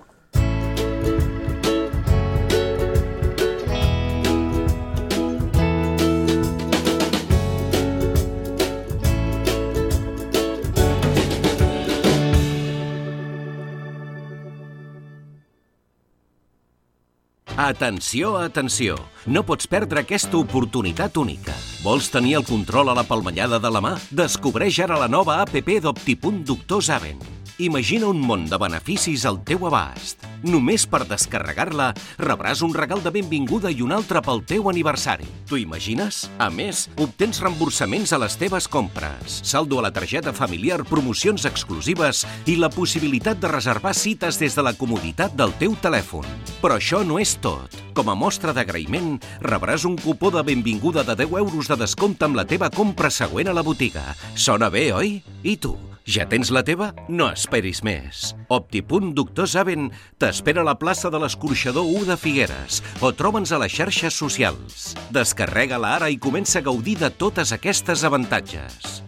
Atenció, atenció! No pots perdre aquesta oportunitat única. Vols tenir el control a la palmellada de la mà? Descobreix ara la nova app d'Optipunt Doctor Zaven. Imagina un món de beneficis al teu abast. Només per descarregar-la rebràs un regal de benvinguda i un altre pel teu aniversari. T'ho imagines? A més, obtens reemborsaments a les teves compres, saldo a la targeta familiar, promocions exclusives i la possibilitat de reservar cites des de la comoditat del teu telèfon. Però això no és tot. Com a mostra d'agraïment, rebràs un cupó de benvinguda de deu euros de descompte amb la teva compra següent a la botiga. Sona bé, oi? I tu? Ja tens la teva? No esperis més. Optipunt Doctor Saben t'espera a la plaça de l'Escorxador u de Figueres o troba'ns a les xarxes socials. Descarrega-la ara i comença a gaudir de totes aquestes avantatges.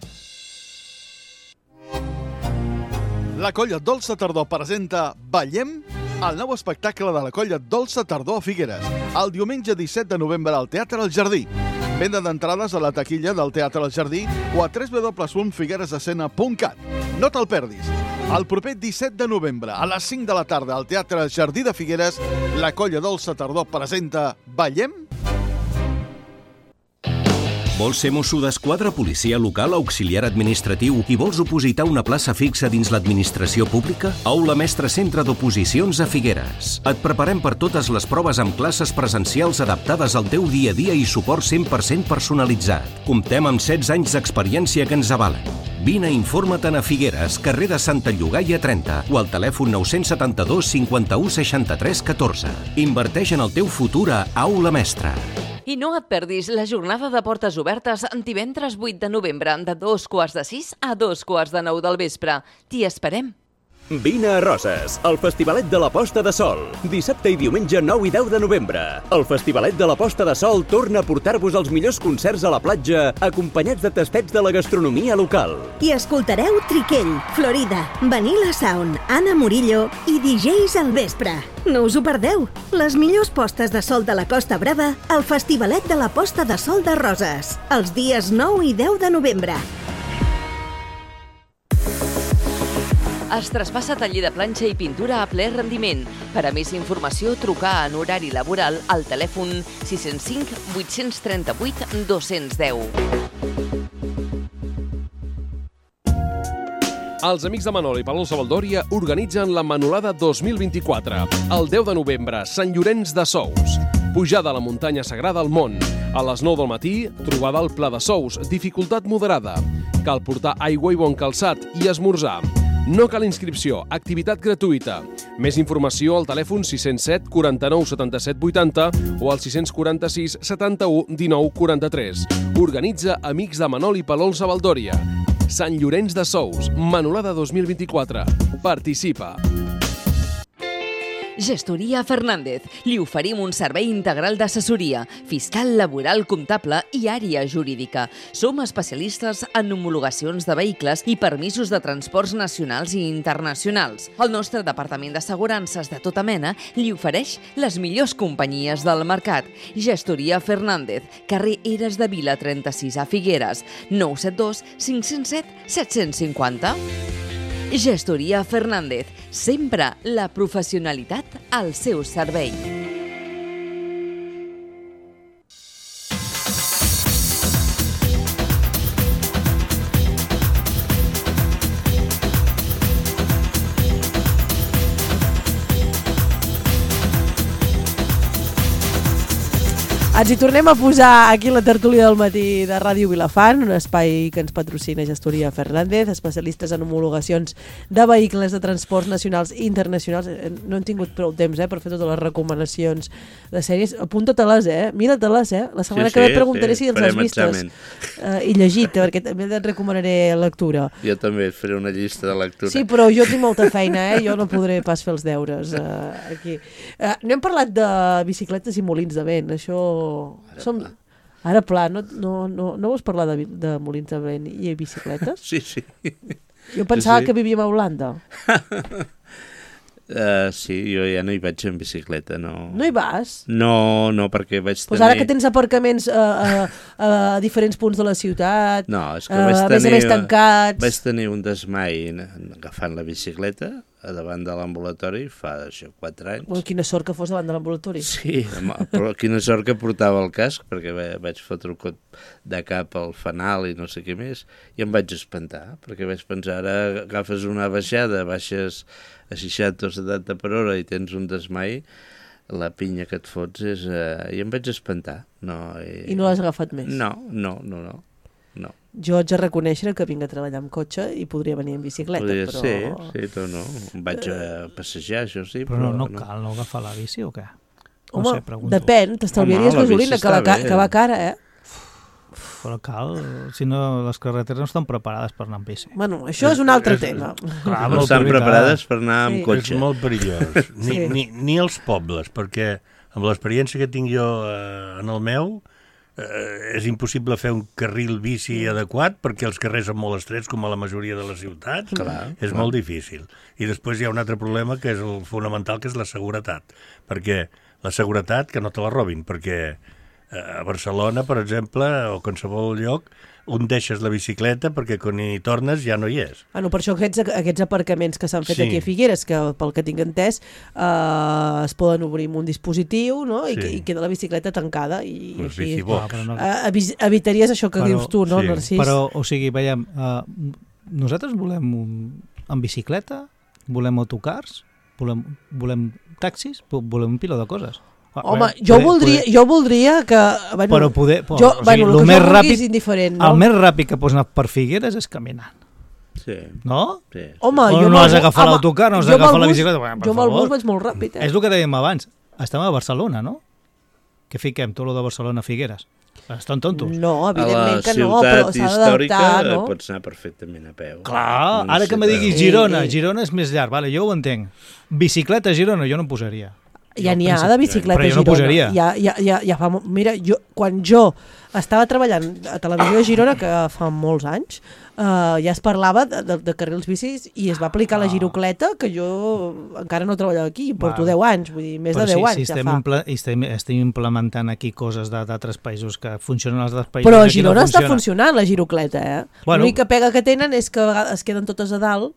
La Colla Dolça Tardor presenta Ballem, el nou espectacle de la Colla Dolça Tardor a Figueres, el diumenge disset de novembre al Teatre El Jardí. Venda d'entrades a la taquilla del Teatre El Jardí o a w w w punt figueresescena punt cat. No te'l perdis. El proper disset de novembre, a les cinc de la tarda, al Teatre El Jardí de Figueres, la Colla Dolça Tardor presenta Ballem. Vols ser mosso d'esquadra, policia local, auxiliar administratiu i vols opositar una plaça fixa dins l'administració pública? Aula Mestre Centre d'Oposicions a Figueres. Et preparem per totes les proves amb classes presencials adaptades al teu dia a dia i suport cent per cent personalitzat. Comptem amb setze anys d'experiència que ens avalen. Vine i informa-te'n a Figueres, carrer de Santa Llogaia trenta o al telèfon nou set dos cinquanta-u seixanta-tres catorze. Inverteix en el teu futur a Aula Mestre. I no et perdis la jornada de portes obertes divendres vuit de novembre de dos quarts de sis a dos quarts de nou del vespre. T'hi esperem. Vine a Roses, el Festivalet de la Posta de Sol. Dissabte i diumenge nou i deu de novembre. El Festivalet de la Posta de Sol torna a portar-vos els millors concerts a la platja, acompanyats de tastets de la gastronomia local. I escoltareu Triquell, Florida, Vanilla Sound, Anna Murillo i D Js al vespre. No us ho perdeu! Les millors postes de sol de la Costa Brava al Festivalet de la Posta de Sol de Roses, els dies nou i deu de novembre. Es traspassa taller de planxa i pintura a ple rendiment. Per a més informació, trucar en horari laboral al telèfon sis zero cinc vuit tres vuit dos zero zero. Els amics de Manol i Palol Savaldòria organitzen la Manolada dos mil vint-i-quatre. El deu de novembre, Sant Llorenç de Sous. Pujada a la muntanya sagrada al Mont. A les nou del matí, trobada al Pla de Sous, dificultat moderada. Cal portar aigua i bon calçat i esmorzar. No cal inscripció, activitat gratuïta. Més informació al telèfon sis zero set quaranta-nou setanta-set vuitanta o al sis quaranta sis setanta-u dinou quaranta-tres. Organitza Amics de Manol i Palol Savaldòria. Sant Llorenç de Sous, Manolada dos mil vint-i-quatre. Participa. Gestoria Fernández. Li oferim un servei integral d'assessoria, fiscal, laboral, comptable i àrea jurídica. Som especialistes en homologacions de vehicles i permisos de transports nacionals i internacionals. El nostre departament d'assegurances de tota mena li ofereix les millors companyies del mercat. Gestoria Fernández, carrer Eres de Vila trenta-sis a Figueres, nou set dos cinc zero set set cinc zero. Gestoria Fernández, sempre la professionalitat al seu servei. Ens hi tornem a posar aquí la tertúlia del matí de Ràdio Vilafant, un espai que ens patrocina Gestoria Fernández, especialistes en homologacions de vehicles de transports nacionals i internacionals. No hem tingut prou temps eh, per fer totes les recomanacions de sèries. Apunta-te-les, eh? Mira-te-les, eh? La setmana sí, que ve sí, preguntaré sí, si els has vistes uh, i llegit, perquè també et recomanaré lectura. Jo també et faré una llista de lectura. Sí, però jo tinc molta feina, eh? Jo no podré pas fer els deures uh, aquí. Uh, no hem parlat de bicicletes i molins de vent, això... Ara, Som... pla. Ara pla, no, no, no, no vols parlar de, de molins de vent i bicicletes? Sí, sí. Jo pensava sí. que vivíem a Holanda. uh, sí, jo ja no hi vaig en bicicleta, no. No hi vas? No, no, perquè vaig tenir... Pues ara que tens aparcaments a, a, a diferents punts de la ciutat, no, és que a, vaig a tenir, més a més tancats... Vaig tenir un desmai agafant la bicicleta a davant de l'ambulatori fa això, quatre anys. Bueno, quina sort que fos davant de l'ambulatori. Sí, però quina sort que portava el casc, perquè vaig fotre un cop de cap al fanal i no sé què més, i em vaig espantar, perquè vaig pensar, ara agafes una baixada, baixes a seixanta o setanta per hora i tens un desmai, la pinya que et fots és... Eh, i em vaig espantar. No, i... I no l'has agafat més? No, no, no, no. no. Jo haig de reconèixer que vinc a treballar amb cotxe i podria venir en bicicleta, podria però... ser, sí, però no. Em vaig a passejar, això sí, però... Però no, no, no cal no agafar la bici o què? Home, no sé, pregunto. Depèn, t'estalviaries gasolina, que, la, que va cara, eh? Però cal, si no, les carreteres no estan preparades per anar amb bici. Bueno, això és un altre és, tema. Clar, no estan preparades per anar amb sí. cotxe. És molt perillós. Ni, sí. ni, ni els pobles, perquè amb l'experiència que tinc jo eh, en el meu, eh, és impossible fer un carril bici adequat perquè els carrers són molt estrets, com a la majoria de les ciutats. Clar, és clar. molt difícil. I després hi ha un altre problema que és el fonamental, que és la seguretat. Perquè la seguretat, que no te la robin, perquè a Barcelona, per exemple, o qualsevol lloc, on deixes la bicicleta perquè quan hi tornes ja no hi és. Bueno, per això aquests, aquests aparcaments que s'han fet sí. aquí a Figueres, que pel que tinc entès, eh, es poden obrir amb un dispositiu, no? I, sí. I queda la bicicleta tancada. I Els aquí, bicibox. No... Eh, evitaries això que però, dius tu, no, sí. Narcís? Però, o sigui, veiem, uh, nosaltres volem un, en bicicleta, volem autocars, volem, volem taxis, volem un piló de coses. Home, jo, poder, voldria, poder... jo voldria que... Bueno, però poder... Però, jo, o sigui, bueno, el que més jo ràpid, és indiferent, no? El més ràpid que pots anar per Figueres és caminant. Sí. No? Sí. Home, o jo no has d'agafar l'autocar, no has d'agafar la bicicleta. Bueno, jo amb el bus vaig molt ràpid, eh? És el que dèiem abans. Estem a Barcelona, no? Que fiquem tot lo de Barcelona a Figueres. Estan tontos. No, evidentment que no, però s'ha d'adaptar, no? Pots anar perfectament a peu. Clar, ara que me diguis Girona, Girona és més llarg, vale, jo ho entenc. Bicicleta a Girona jo no em posaria. Ja n'hi ha de bicicleta a Girona. Però jo no posaria. Ja, ja, ja, ja fa, mira, jo, quan jo estava treballant a Televisió de Girona, que fa molts anys, uh, ja es parlava de, de, de carrils bicis i es va aplicar ah. la girocleta, que jo encara no treballava aquí, porto Va. deu anys, vull dir, més però de deu si, anys si ja estem fa. Impla, estem, estem implementant aquí coses d'altres països que funcionen als altres països. Però a Girona no està funciona. funcionant la girocleta, eh? Bueno. L'única pega que tenen és que a vegades es queden totes a dalt.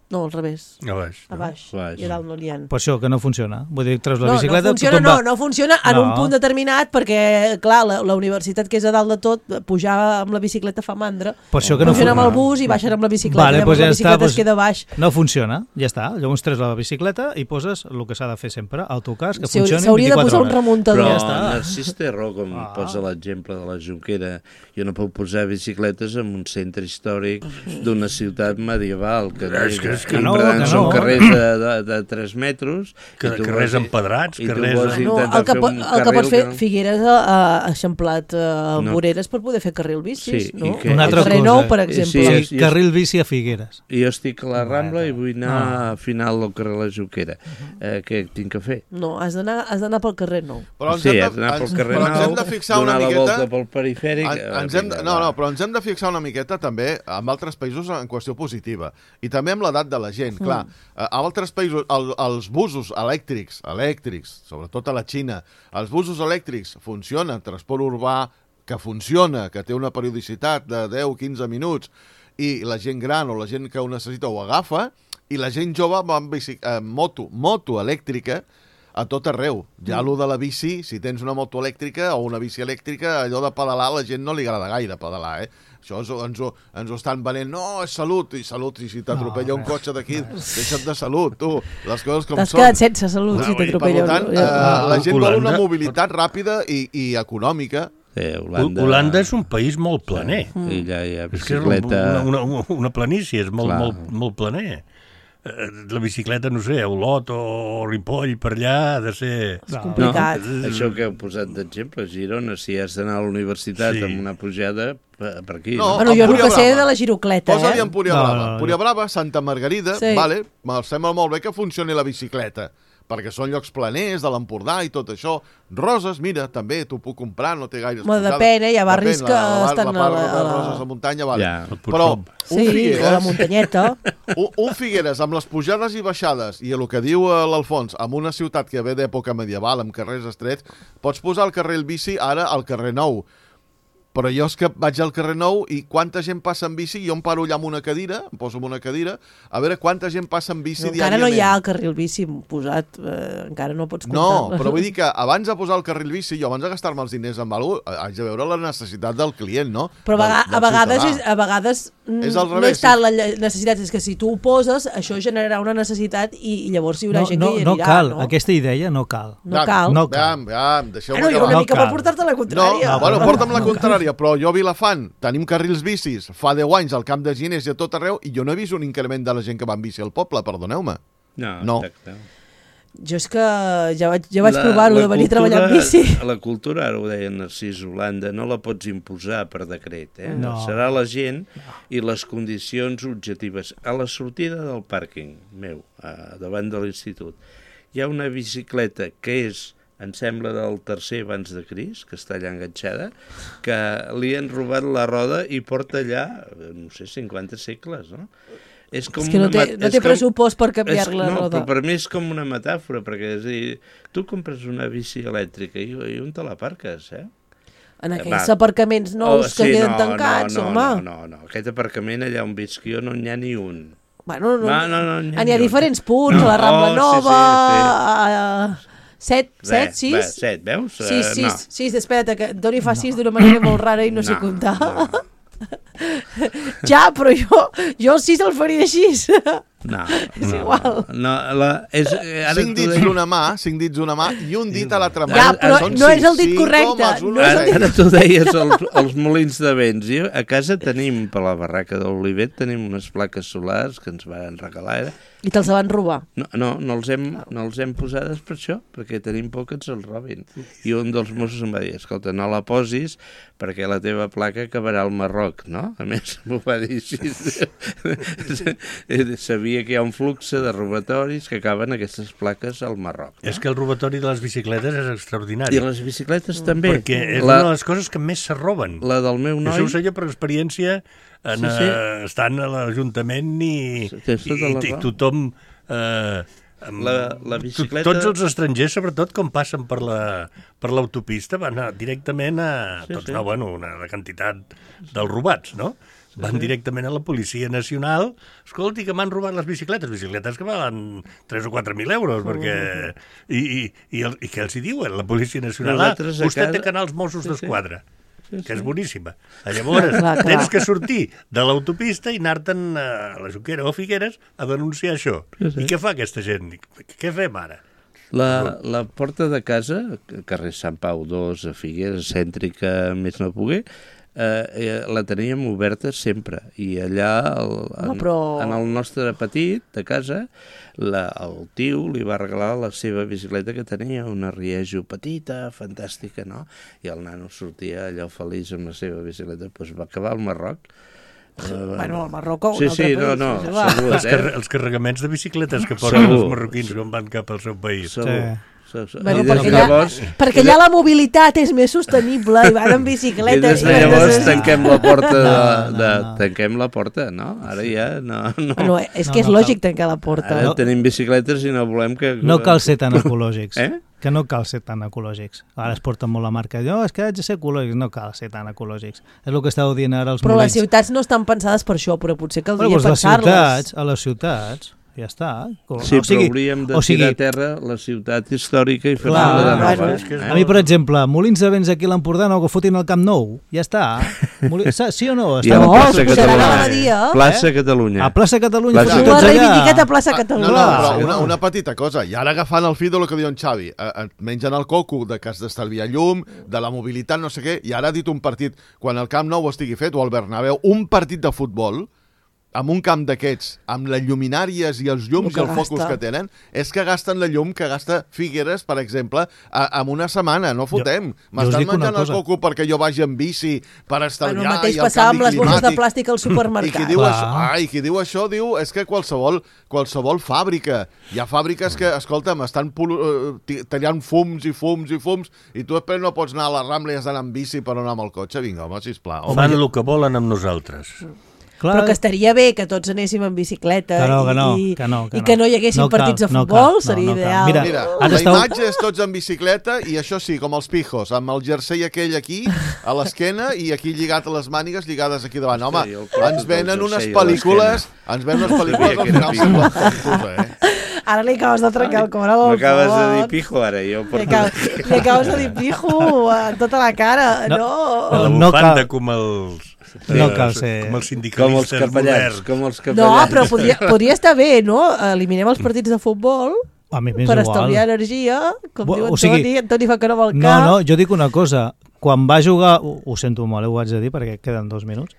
No, al revés. A baix. A baix. No? I a dalt no n'hi ha. Per això, que no funciona. Vull dir, treus la no, bicicleta... No funciona, no, va... no funciona en no. un punt determinat perquè, clar, la, la universitat que és a dalt de tot, pujar amb la bicicleta fa mandra. Per això que no pugen funciona. amb el bus i baixen amb la bicicleta. Vale, i amb pues la ja bicicleta està, es queda baix. No funciona, ja està. Llavors treus la bicicleta i poses el que s'ha de fer sempre, autocars, que si, funcioni s'hauria vint-i-quatre de posar hores. un remuntador. Però ja està. Narcís té raó, com ah. posa l'exemple de la Jonquera. Jo no puc posar bicicletes en un centre històric d'una ciutat medieval, que, és que, és que no, que no. són carrers de de, de tres metres. Que, carrers vols, empedrats, carrers... No, el que, pot, el que pot fer que... Figueres ha, ha eixamplat uh, no. voreres per poder fer carril bicis, sí, no? Que... Un altre carrer cosa. nou, per exemple. Sí, sí, carril bici a Figueres. I jo estic a la Rambla i vull anar ah. a final del carrer La Jonquera. Eh, què tinc que fer? No, has d'anar pel carrer nou. Però sí, has d'anar pel carrer nou, hem de fixar una donar miqueta... la volta pel perifèric... En, ens hem de, no, no, però ens hem de fixar una miqueta també en altres països en qüestió positiva. I també amb l'edat de la gent. Mm. Clar, a altres països... El, els busos elèctrics, elèctrics, sobretot a la Xina, els busos elèctrics funcionen, transport urbà que funciona, que té una periodicitat de deu a quinze minuts, i la gent gran o la gent que ho necessita ho agafa, i la gent jove va amb bici, eh, moto, moto elèctrica a tot arreu. Ja allò de la bici, si tens una moto elèctrica o una bici elèctrica, allò de pedalar, a la gent no li agrada gaire pedalar, eh? Això ens, ens, ho, ens ho estan venent. No, és salut, i salut, i si t'atropella no, un cotxe d'aquí, deixa't de salut, tu. Les coses com T'has són. T'has quedat sense salut, no, si t'atropella un... Per tant, eh, la gent vol una mobilitat ràpida i, i econòmica. Sí, Holanda... Holanda és un país molt planer. Mm. I allà hi ha bicicleta... És que és una, una, una planícia, és molt, molt, molt planer. La bicicleta, no sé, a Olot o Ripoll, per allà, ha de ser... És complicat. No, això que heu posat d'exemple, Girona, si has d'anar a la universitat sí. amb una pujada, per aquí. No, no? Bueno, jo el que sé de la girocleta, eh? Posa-li en Púria Brava. No, no, no. Púria Brava, Santa Margarida, sí. Vale, em sembla molt bé que funcioni la bicicleta, perquè són llocs planers de l'Empordà i tot això. Roses, mira, també t'ho puc comprar, no té gaire... Bueno, depèn, eh? Hi ha barris que la, la, estan... La part a la, de Roses de muntanya, vale. Ja, però un sí, Figueres... o la muntanyeta. un, un Figueres amb les pujades i baixades, i el que diu l'Alfons, amb una ciutat que ve d'època medieval, amb carrers estrets, pots posar el carrer el bici ara al carrer Nou. però jo és que vaig al carrer Nou i quanta gent passa en bici, jo em paro allà amb una cadira, em poso en una cadira, a veure quanta gent passa en bici no, diàriament. Encara no hi ha el carril bici posat, eh, encara no pots comptar. No, però vull dir que abans de posar el carril bici, jo abans de gastar-me els diners amb alguna cosa, haig de veure la necessitat del client, no? Però del, a, del a vegades, és, ciutadà. a vegades És al no revés, és tant la necessitat, és que si tu ho poses, això generarà una necessitat i, i llavors hi haurà No, gent no, que hi no anirà. cal, no? aquesta idea no cal. No cal. No cal. Veam, veam, deixeu-me Bueno, jo acabar. una No mica cal. per portar-te la No, contrària. no, bueno, porta'm la contrària, però jo a Vilafant tenim carrils bicis fa deu anys al Camp de Ginés i a tot arreu i jo no he vist un increment de la gent que va en bici al poble, perdoneu-me. No, No. exacte. Jo és que ja vaig, ja vaig provar-ho de venir a treballar en bici. La cultura, ara ho deia Narcís Holanda, no la pots imposar per decret. Eh? No. Serà la gent i les condicions objectives. A la sortida del pàrquing meu, a, davant de l'institut, hi ha una bicicleta que és, em sembla, del tercer abans de Crist, que està allà enganxada, que li han robat la roda i porta allà, no sé, cinquanta segles, no? És, com És que no té, una, no té com, pressupost per canviar és, la no, roda. però per mi és com una metàfora, perquè és a dir, tu compres una bici elèctrica i, i on te la parques, eh? En Va. aquells aparcaments nous Oh, que sí, queden no, tancats, no, no, home. No, no, no, aquest aparcament allà on visc jo no n'hi ha ni un. Bueno, no, No, no, no, n'hi ha n'hi ha ni un. diferents punts, No, a la Rambla oh, sí, Nova, sí, a... set, set, Bé, sis? bé, set, veus? Sis, Eh, sis, no. sis, espera't, que Doni fa sis d'una manera molt rara i no, sé No, comptar. no. Ja, però jo, jo el sis el faria així. No, És no, igual. No, la, és, eh, ara Cinc t'ho dits deia- d'una mà, cinc dits d'una mà i un dit a l'altra mà. Ja, però Són no és el dit sis, correcte, homes, un no és el Ara, dit- ara tu deies els, els molins de vents. Jo, a casa tenim, per la barraca de l'Olivet, tenim unes plaques solars que ens van regalar. Era. I te'ls van robar. No, no, no els hem, no els hem posades per això, perquè tenim por que ens els robin. I un dels Mossos em va dir, escolta, no la posis perquè la teva placa acabarà al Marroc, no? A més, m'ho va dir així. Sabia que hi ha un flux de robatoris que acaben aquestes plaques al Marroc. No? És que el robatori de les bicicletes és extraordinari. I les bicicletes també. Perquè és la, una de les coses que més se roben. la del meu noi... Això ho sé jo per experiència en, Sí, sí. eh, estant a l'Ajuntament i, Sí, tens i, tota la i, i raó. tothom... Eh, amb- La- la bicicleta- to- Tots els estrangers, sobretot, com passen per la per l'autopista, van a, directament a... Sí, tots sí. no, bueno, una, una quantitat dels robats, no? Van directament a la Policia Nacional. Escolti, que m'han robat les bicicletes. Bicicletes que valen tres o quatre mil euros, perquè... I, i, i, el, I què els hi diuen? La Policia Nacional. Ah, Nosaltres a vostè casa- té canals Mossos Sí, sí. d'Esquadra. Sí, Que és sí. boníssima. Llavors, Clar, clar. tens que sortir de l'autopista i anar-te'n a la Junquera o Figueres a denunciar això. Sí, sí. I què fa aquesta gent? Què fem ara? La, la porta de casa, carrer Sant Pau dos, a Figueres, cèntrica, més no poguer, eh, eh, la teníem oberta sempre. I allà, el, en, Home, però- en el nostre petit de casa, la, el tio li va regalar la seva bicicleta que tenia, una Riejo petita, fantàstica, no? I el nano sortia allò feliç amb la seva bicicleta. Doncs va acabar al Marroc. Eh, Bueno, al Marroc o un Sí, altre sí, no, país, no, és igual. segur, Els, eh? car els carregaments de bicicletes que porten Segur. els marroquins quan van cap al seu país. Segur. Sí. Sí. Bueno, I des perquè, de llavors, allà, perquè allà la mobilitat és més sostenible i van en i bicicleta. des de i llavors necessita- tanquem la porta de, No, no, de, no. tanquem la porta, no? Ara ja no, no. Bueno, és No, que és no lògic cal. tancar la porta. Ara tenim bicicletes i no volem que... No cal ser tan ecològics. Eh? Que no cal ser tan ecològics. Ara es porta molt la marca. No, és que haig de ser ecològics. No cal ser tan ecològics. És el que estàveu dient ara els Però les molins. ciutats no estan pensades per això, però potser caldria Bueno, doncs les pensar-les. ciutats, a les ciutats, ja està. Com- Sí, o sigui, però hauríem de o sigui, tirar a terra la ciutat històrica i fer-la Clar, de nova. bueno, és que és eh? A mi, per exemple, molins de vents aquí a l'Empordà no, que fotin al Camp Nou. Ja està. Molins, sí o no? I Està a la No, plaça es posaran Catalunya. a la dia. Plaça Catalunya. a plaça Catalunya, Plaça- fotin Ho ha tots allà. reivindicat a plaça Ah, Catalunya. no, no, Clar, però sí, una, no. una petita cosa. I ara agafant el fil de lo que diu en Xavi, eh, et mengen el coco de que has d'estalviar llum, de la mobilitat, no sé què, i ara ha dit un partit, quan el Camp Nou estigui fet, o el Bernabéu, un partit de futbol, amb un camp d'aquests, amb les lluminàries i els llums El que i els focus gasta. que tenen, és que gasten la llum que gasta Figueres, per exemple, a, en una setmana, no fotem. jo us M'estan dic una menjant el cosa. coco perquè jo vagi en bici per Bueno, estalviar el mateix i el passava canvi amb les bosses de climàtic. plàstic al I qui supermercat. diu Clar. això, ai, qui diu això diu és que qualsevol, qualsevol fàbrica, hi ha fàbriques que, escolta'm, estan pol- eh, ti- tallant fums i fums i fums i tu després no pots anar a la Rambla i has d'anar amb bici per anar amb el cotxe. Vinga, home, sisplau. Fan el que volen amb nosaltres. Clar. Però que estaria bé que tots anéssim en bicicleta que no, que no, i, que no, que i que no hi haguessin no cal, partits de no futbol, cal, seria no, no ideal. Mira, Mira, ara la esteu... imatge és tots en bicicleta i això sí, com els pijos, amb el jersei aquell aquí, a l'esquena i aquí lligat a les mànigues lligades aquí davant. Home, Sí, el porto ens venen del unes jersei a pel·lícules, ens venen unes pel·lícules al final sembla tontos, eh? Ara li acabes de trencar el cor amb el M'acabes de dir fons. pijo, ara. Jo Li, porto... acabes, li acabes de dir pijo en tota la cara. No. No. no. La no bufanda cal- com els... No cal ser- Com els Com els sindicalistes capellans, moderns. com els No, capellans. però podria, podria estar bé, no? Eliminem els partits de futbol A mi m'és per igual. estalviar energia, com Bo- diu o sigui- Antoni. Antoni fa que no vol No, cap. no, jo dic una cosa. Quan va jugar... Ho, ho sento molt, eh, ho haig de dir, perquè queden dos minuts.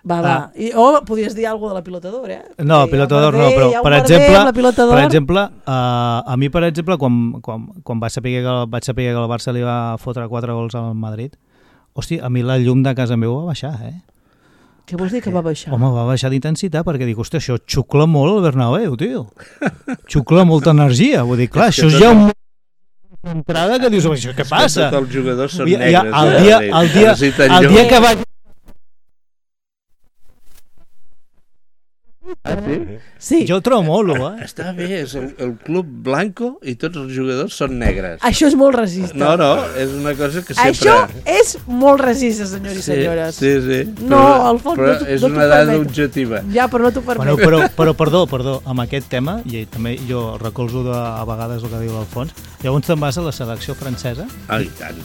Va, va. I, o podries dir alguna cosa de la pilota d'or, eh? No, Que pilota hi ha un d'or no, merder, però hi ha un per merder exemple, amb la pilota d'or. per exemple uh, a mi per exemple quan, quan, quan vaig, saber que, el- vaig saber que el Barça li va fotre quatre gols al Madrid, hosti, a mi la llum de casa meva va baixar, eh? Què vols dir que va baixar? Home, va baixar d'intensitat perquè dic, hòstia, això xucla molt el Bernabéu, tio. Xucla molta energia, vull dir, clar, És que això és tot ja un... entrada que dius, això què passa? Tots els jugadors són I- i negres. el eh? dia, el dia, Necessiten el llum. dia que vaig... Ah, sí? Sí. Jo ho trobo molt, eh? Està bé, és el, el club blanco i tots els jugadors són negres. Això és molt racista. No, no, és una cosa que sempre... Això és molt racista, senyors i senyores. Sí, sí. No, al fons però no t'ho- és no t'ho una dada permeto. objectiva. Ja, però no t'ho Bueno, permeto. però, però perdó, perdó, amb aquest tema, i també jo recolzo de, a vegades el que diu l'Alfons, llavors te'n vas a la selecció francesa? Ah, i tant,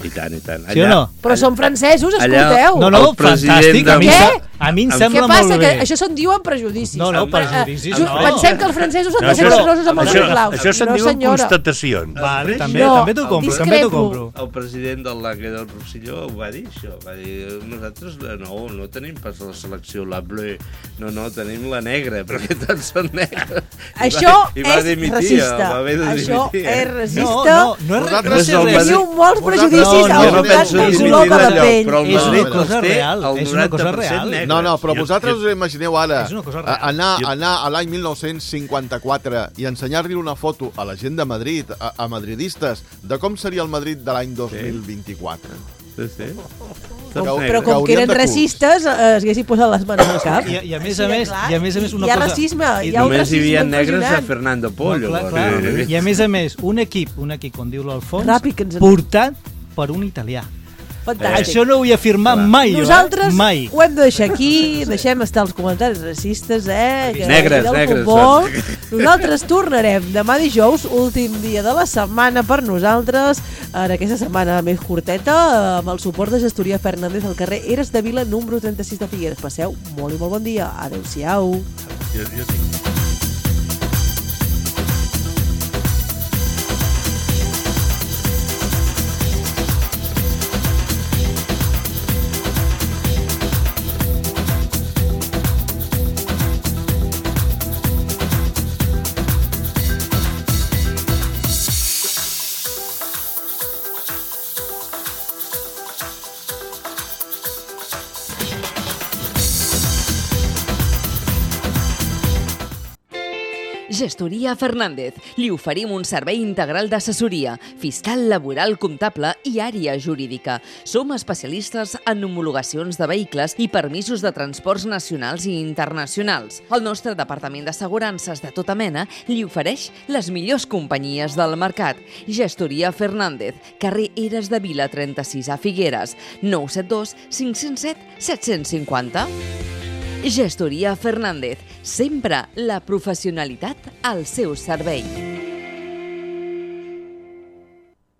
i tant, i tant. Sí o no? Però són francesos, allà- escolteu. No, no, El president fantàstic, a mi, de- sa- a mi em Què sembla Què passa? molt Que bé. això se'n diuen prejudicis. No, no, Eh, prejudicis ju- no. Pensem que els francesos han No, de ser això- generosos amb els això, esclaus. això se'n no, diuen senyora. constatacions. Vale, també, No, també t'ho compro, també t'ho discrepo. compro. El president del Lac del Rosselló ho va dir, això. Va dir, nosaltres no, no tenim pas la selecció, la bleu. No, no, tenim la negra, perquè tots són negres. I Això va, i va és dimitir, racista. Va haver de Això dimitir, eh? és No, racista. no, no és Vosaltres res, no no és va res. dir- Teniu molts Vosaltres- prejudicis no, al jo no voltant penso del dimitir color de la d'allò, pell. però el És una Madrid cosa els té real, el és una cosa noranta per cent real. negres. No, no, però Jo- vosaltres jo- us imagineu ara És una cosa a- real. anar, Jo- anar a l'any mil nou-cents cinquanta-quatre i ensenyar-li una foto a la gent de Madrid, a, a madridistes, de com seria el Madrid de l'any dos mil vint-i-quatre. Sí, sí. Com, Tots però negres. com que haurien eren de curs. racistes, eh, es haguessin posat les mans al cap. I, i a més Així a de més, clar. i a més a més una hi ha cosa... racisme, i hi ha un Només hi havia racisme negres a impressionant. Fernando Pollo. clar, llavors. clar. Sí, sí. I a més a més, un equip, un equip, com diu l'Alfons, Ràpid, que ens en- portat per un italià. Fantàstic. Això no ho vull afirmar Clar. mai, jo, Nosaltres eh? Mai. ho hem de deixar aquí, deixem estar els comentaris racistes, eh? Que Negres, del negres, futbol. Nosaltres tornarem demà dijous, últim dia de la setmana per nosaltres, en aquesta setmana més curteta, amb el suport de Gestoria Fernández al carrer Eres de Vila, número trenta-sis de Figueres. Passeu molt i molt bon dia. Adéu-siau. Jo, jo tinc... Gestoria Fernández. Li oferim un servei integral d'assessoria, fiscal, laboral, comptable i àrea jurídica. Som especialistes en homologacions de vehicles i permisos de transports nacionals i internacionals. El nostre departament d'assegurances de tota mena li ofereix les millors companyies del mercat. Gestoria Fernández, carrer Eres de Vila trenta-sis a Figueres, nou set dos cinc zero set set cinquanta. Gestoria Fernández, sempre la professionalitat al seu servei.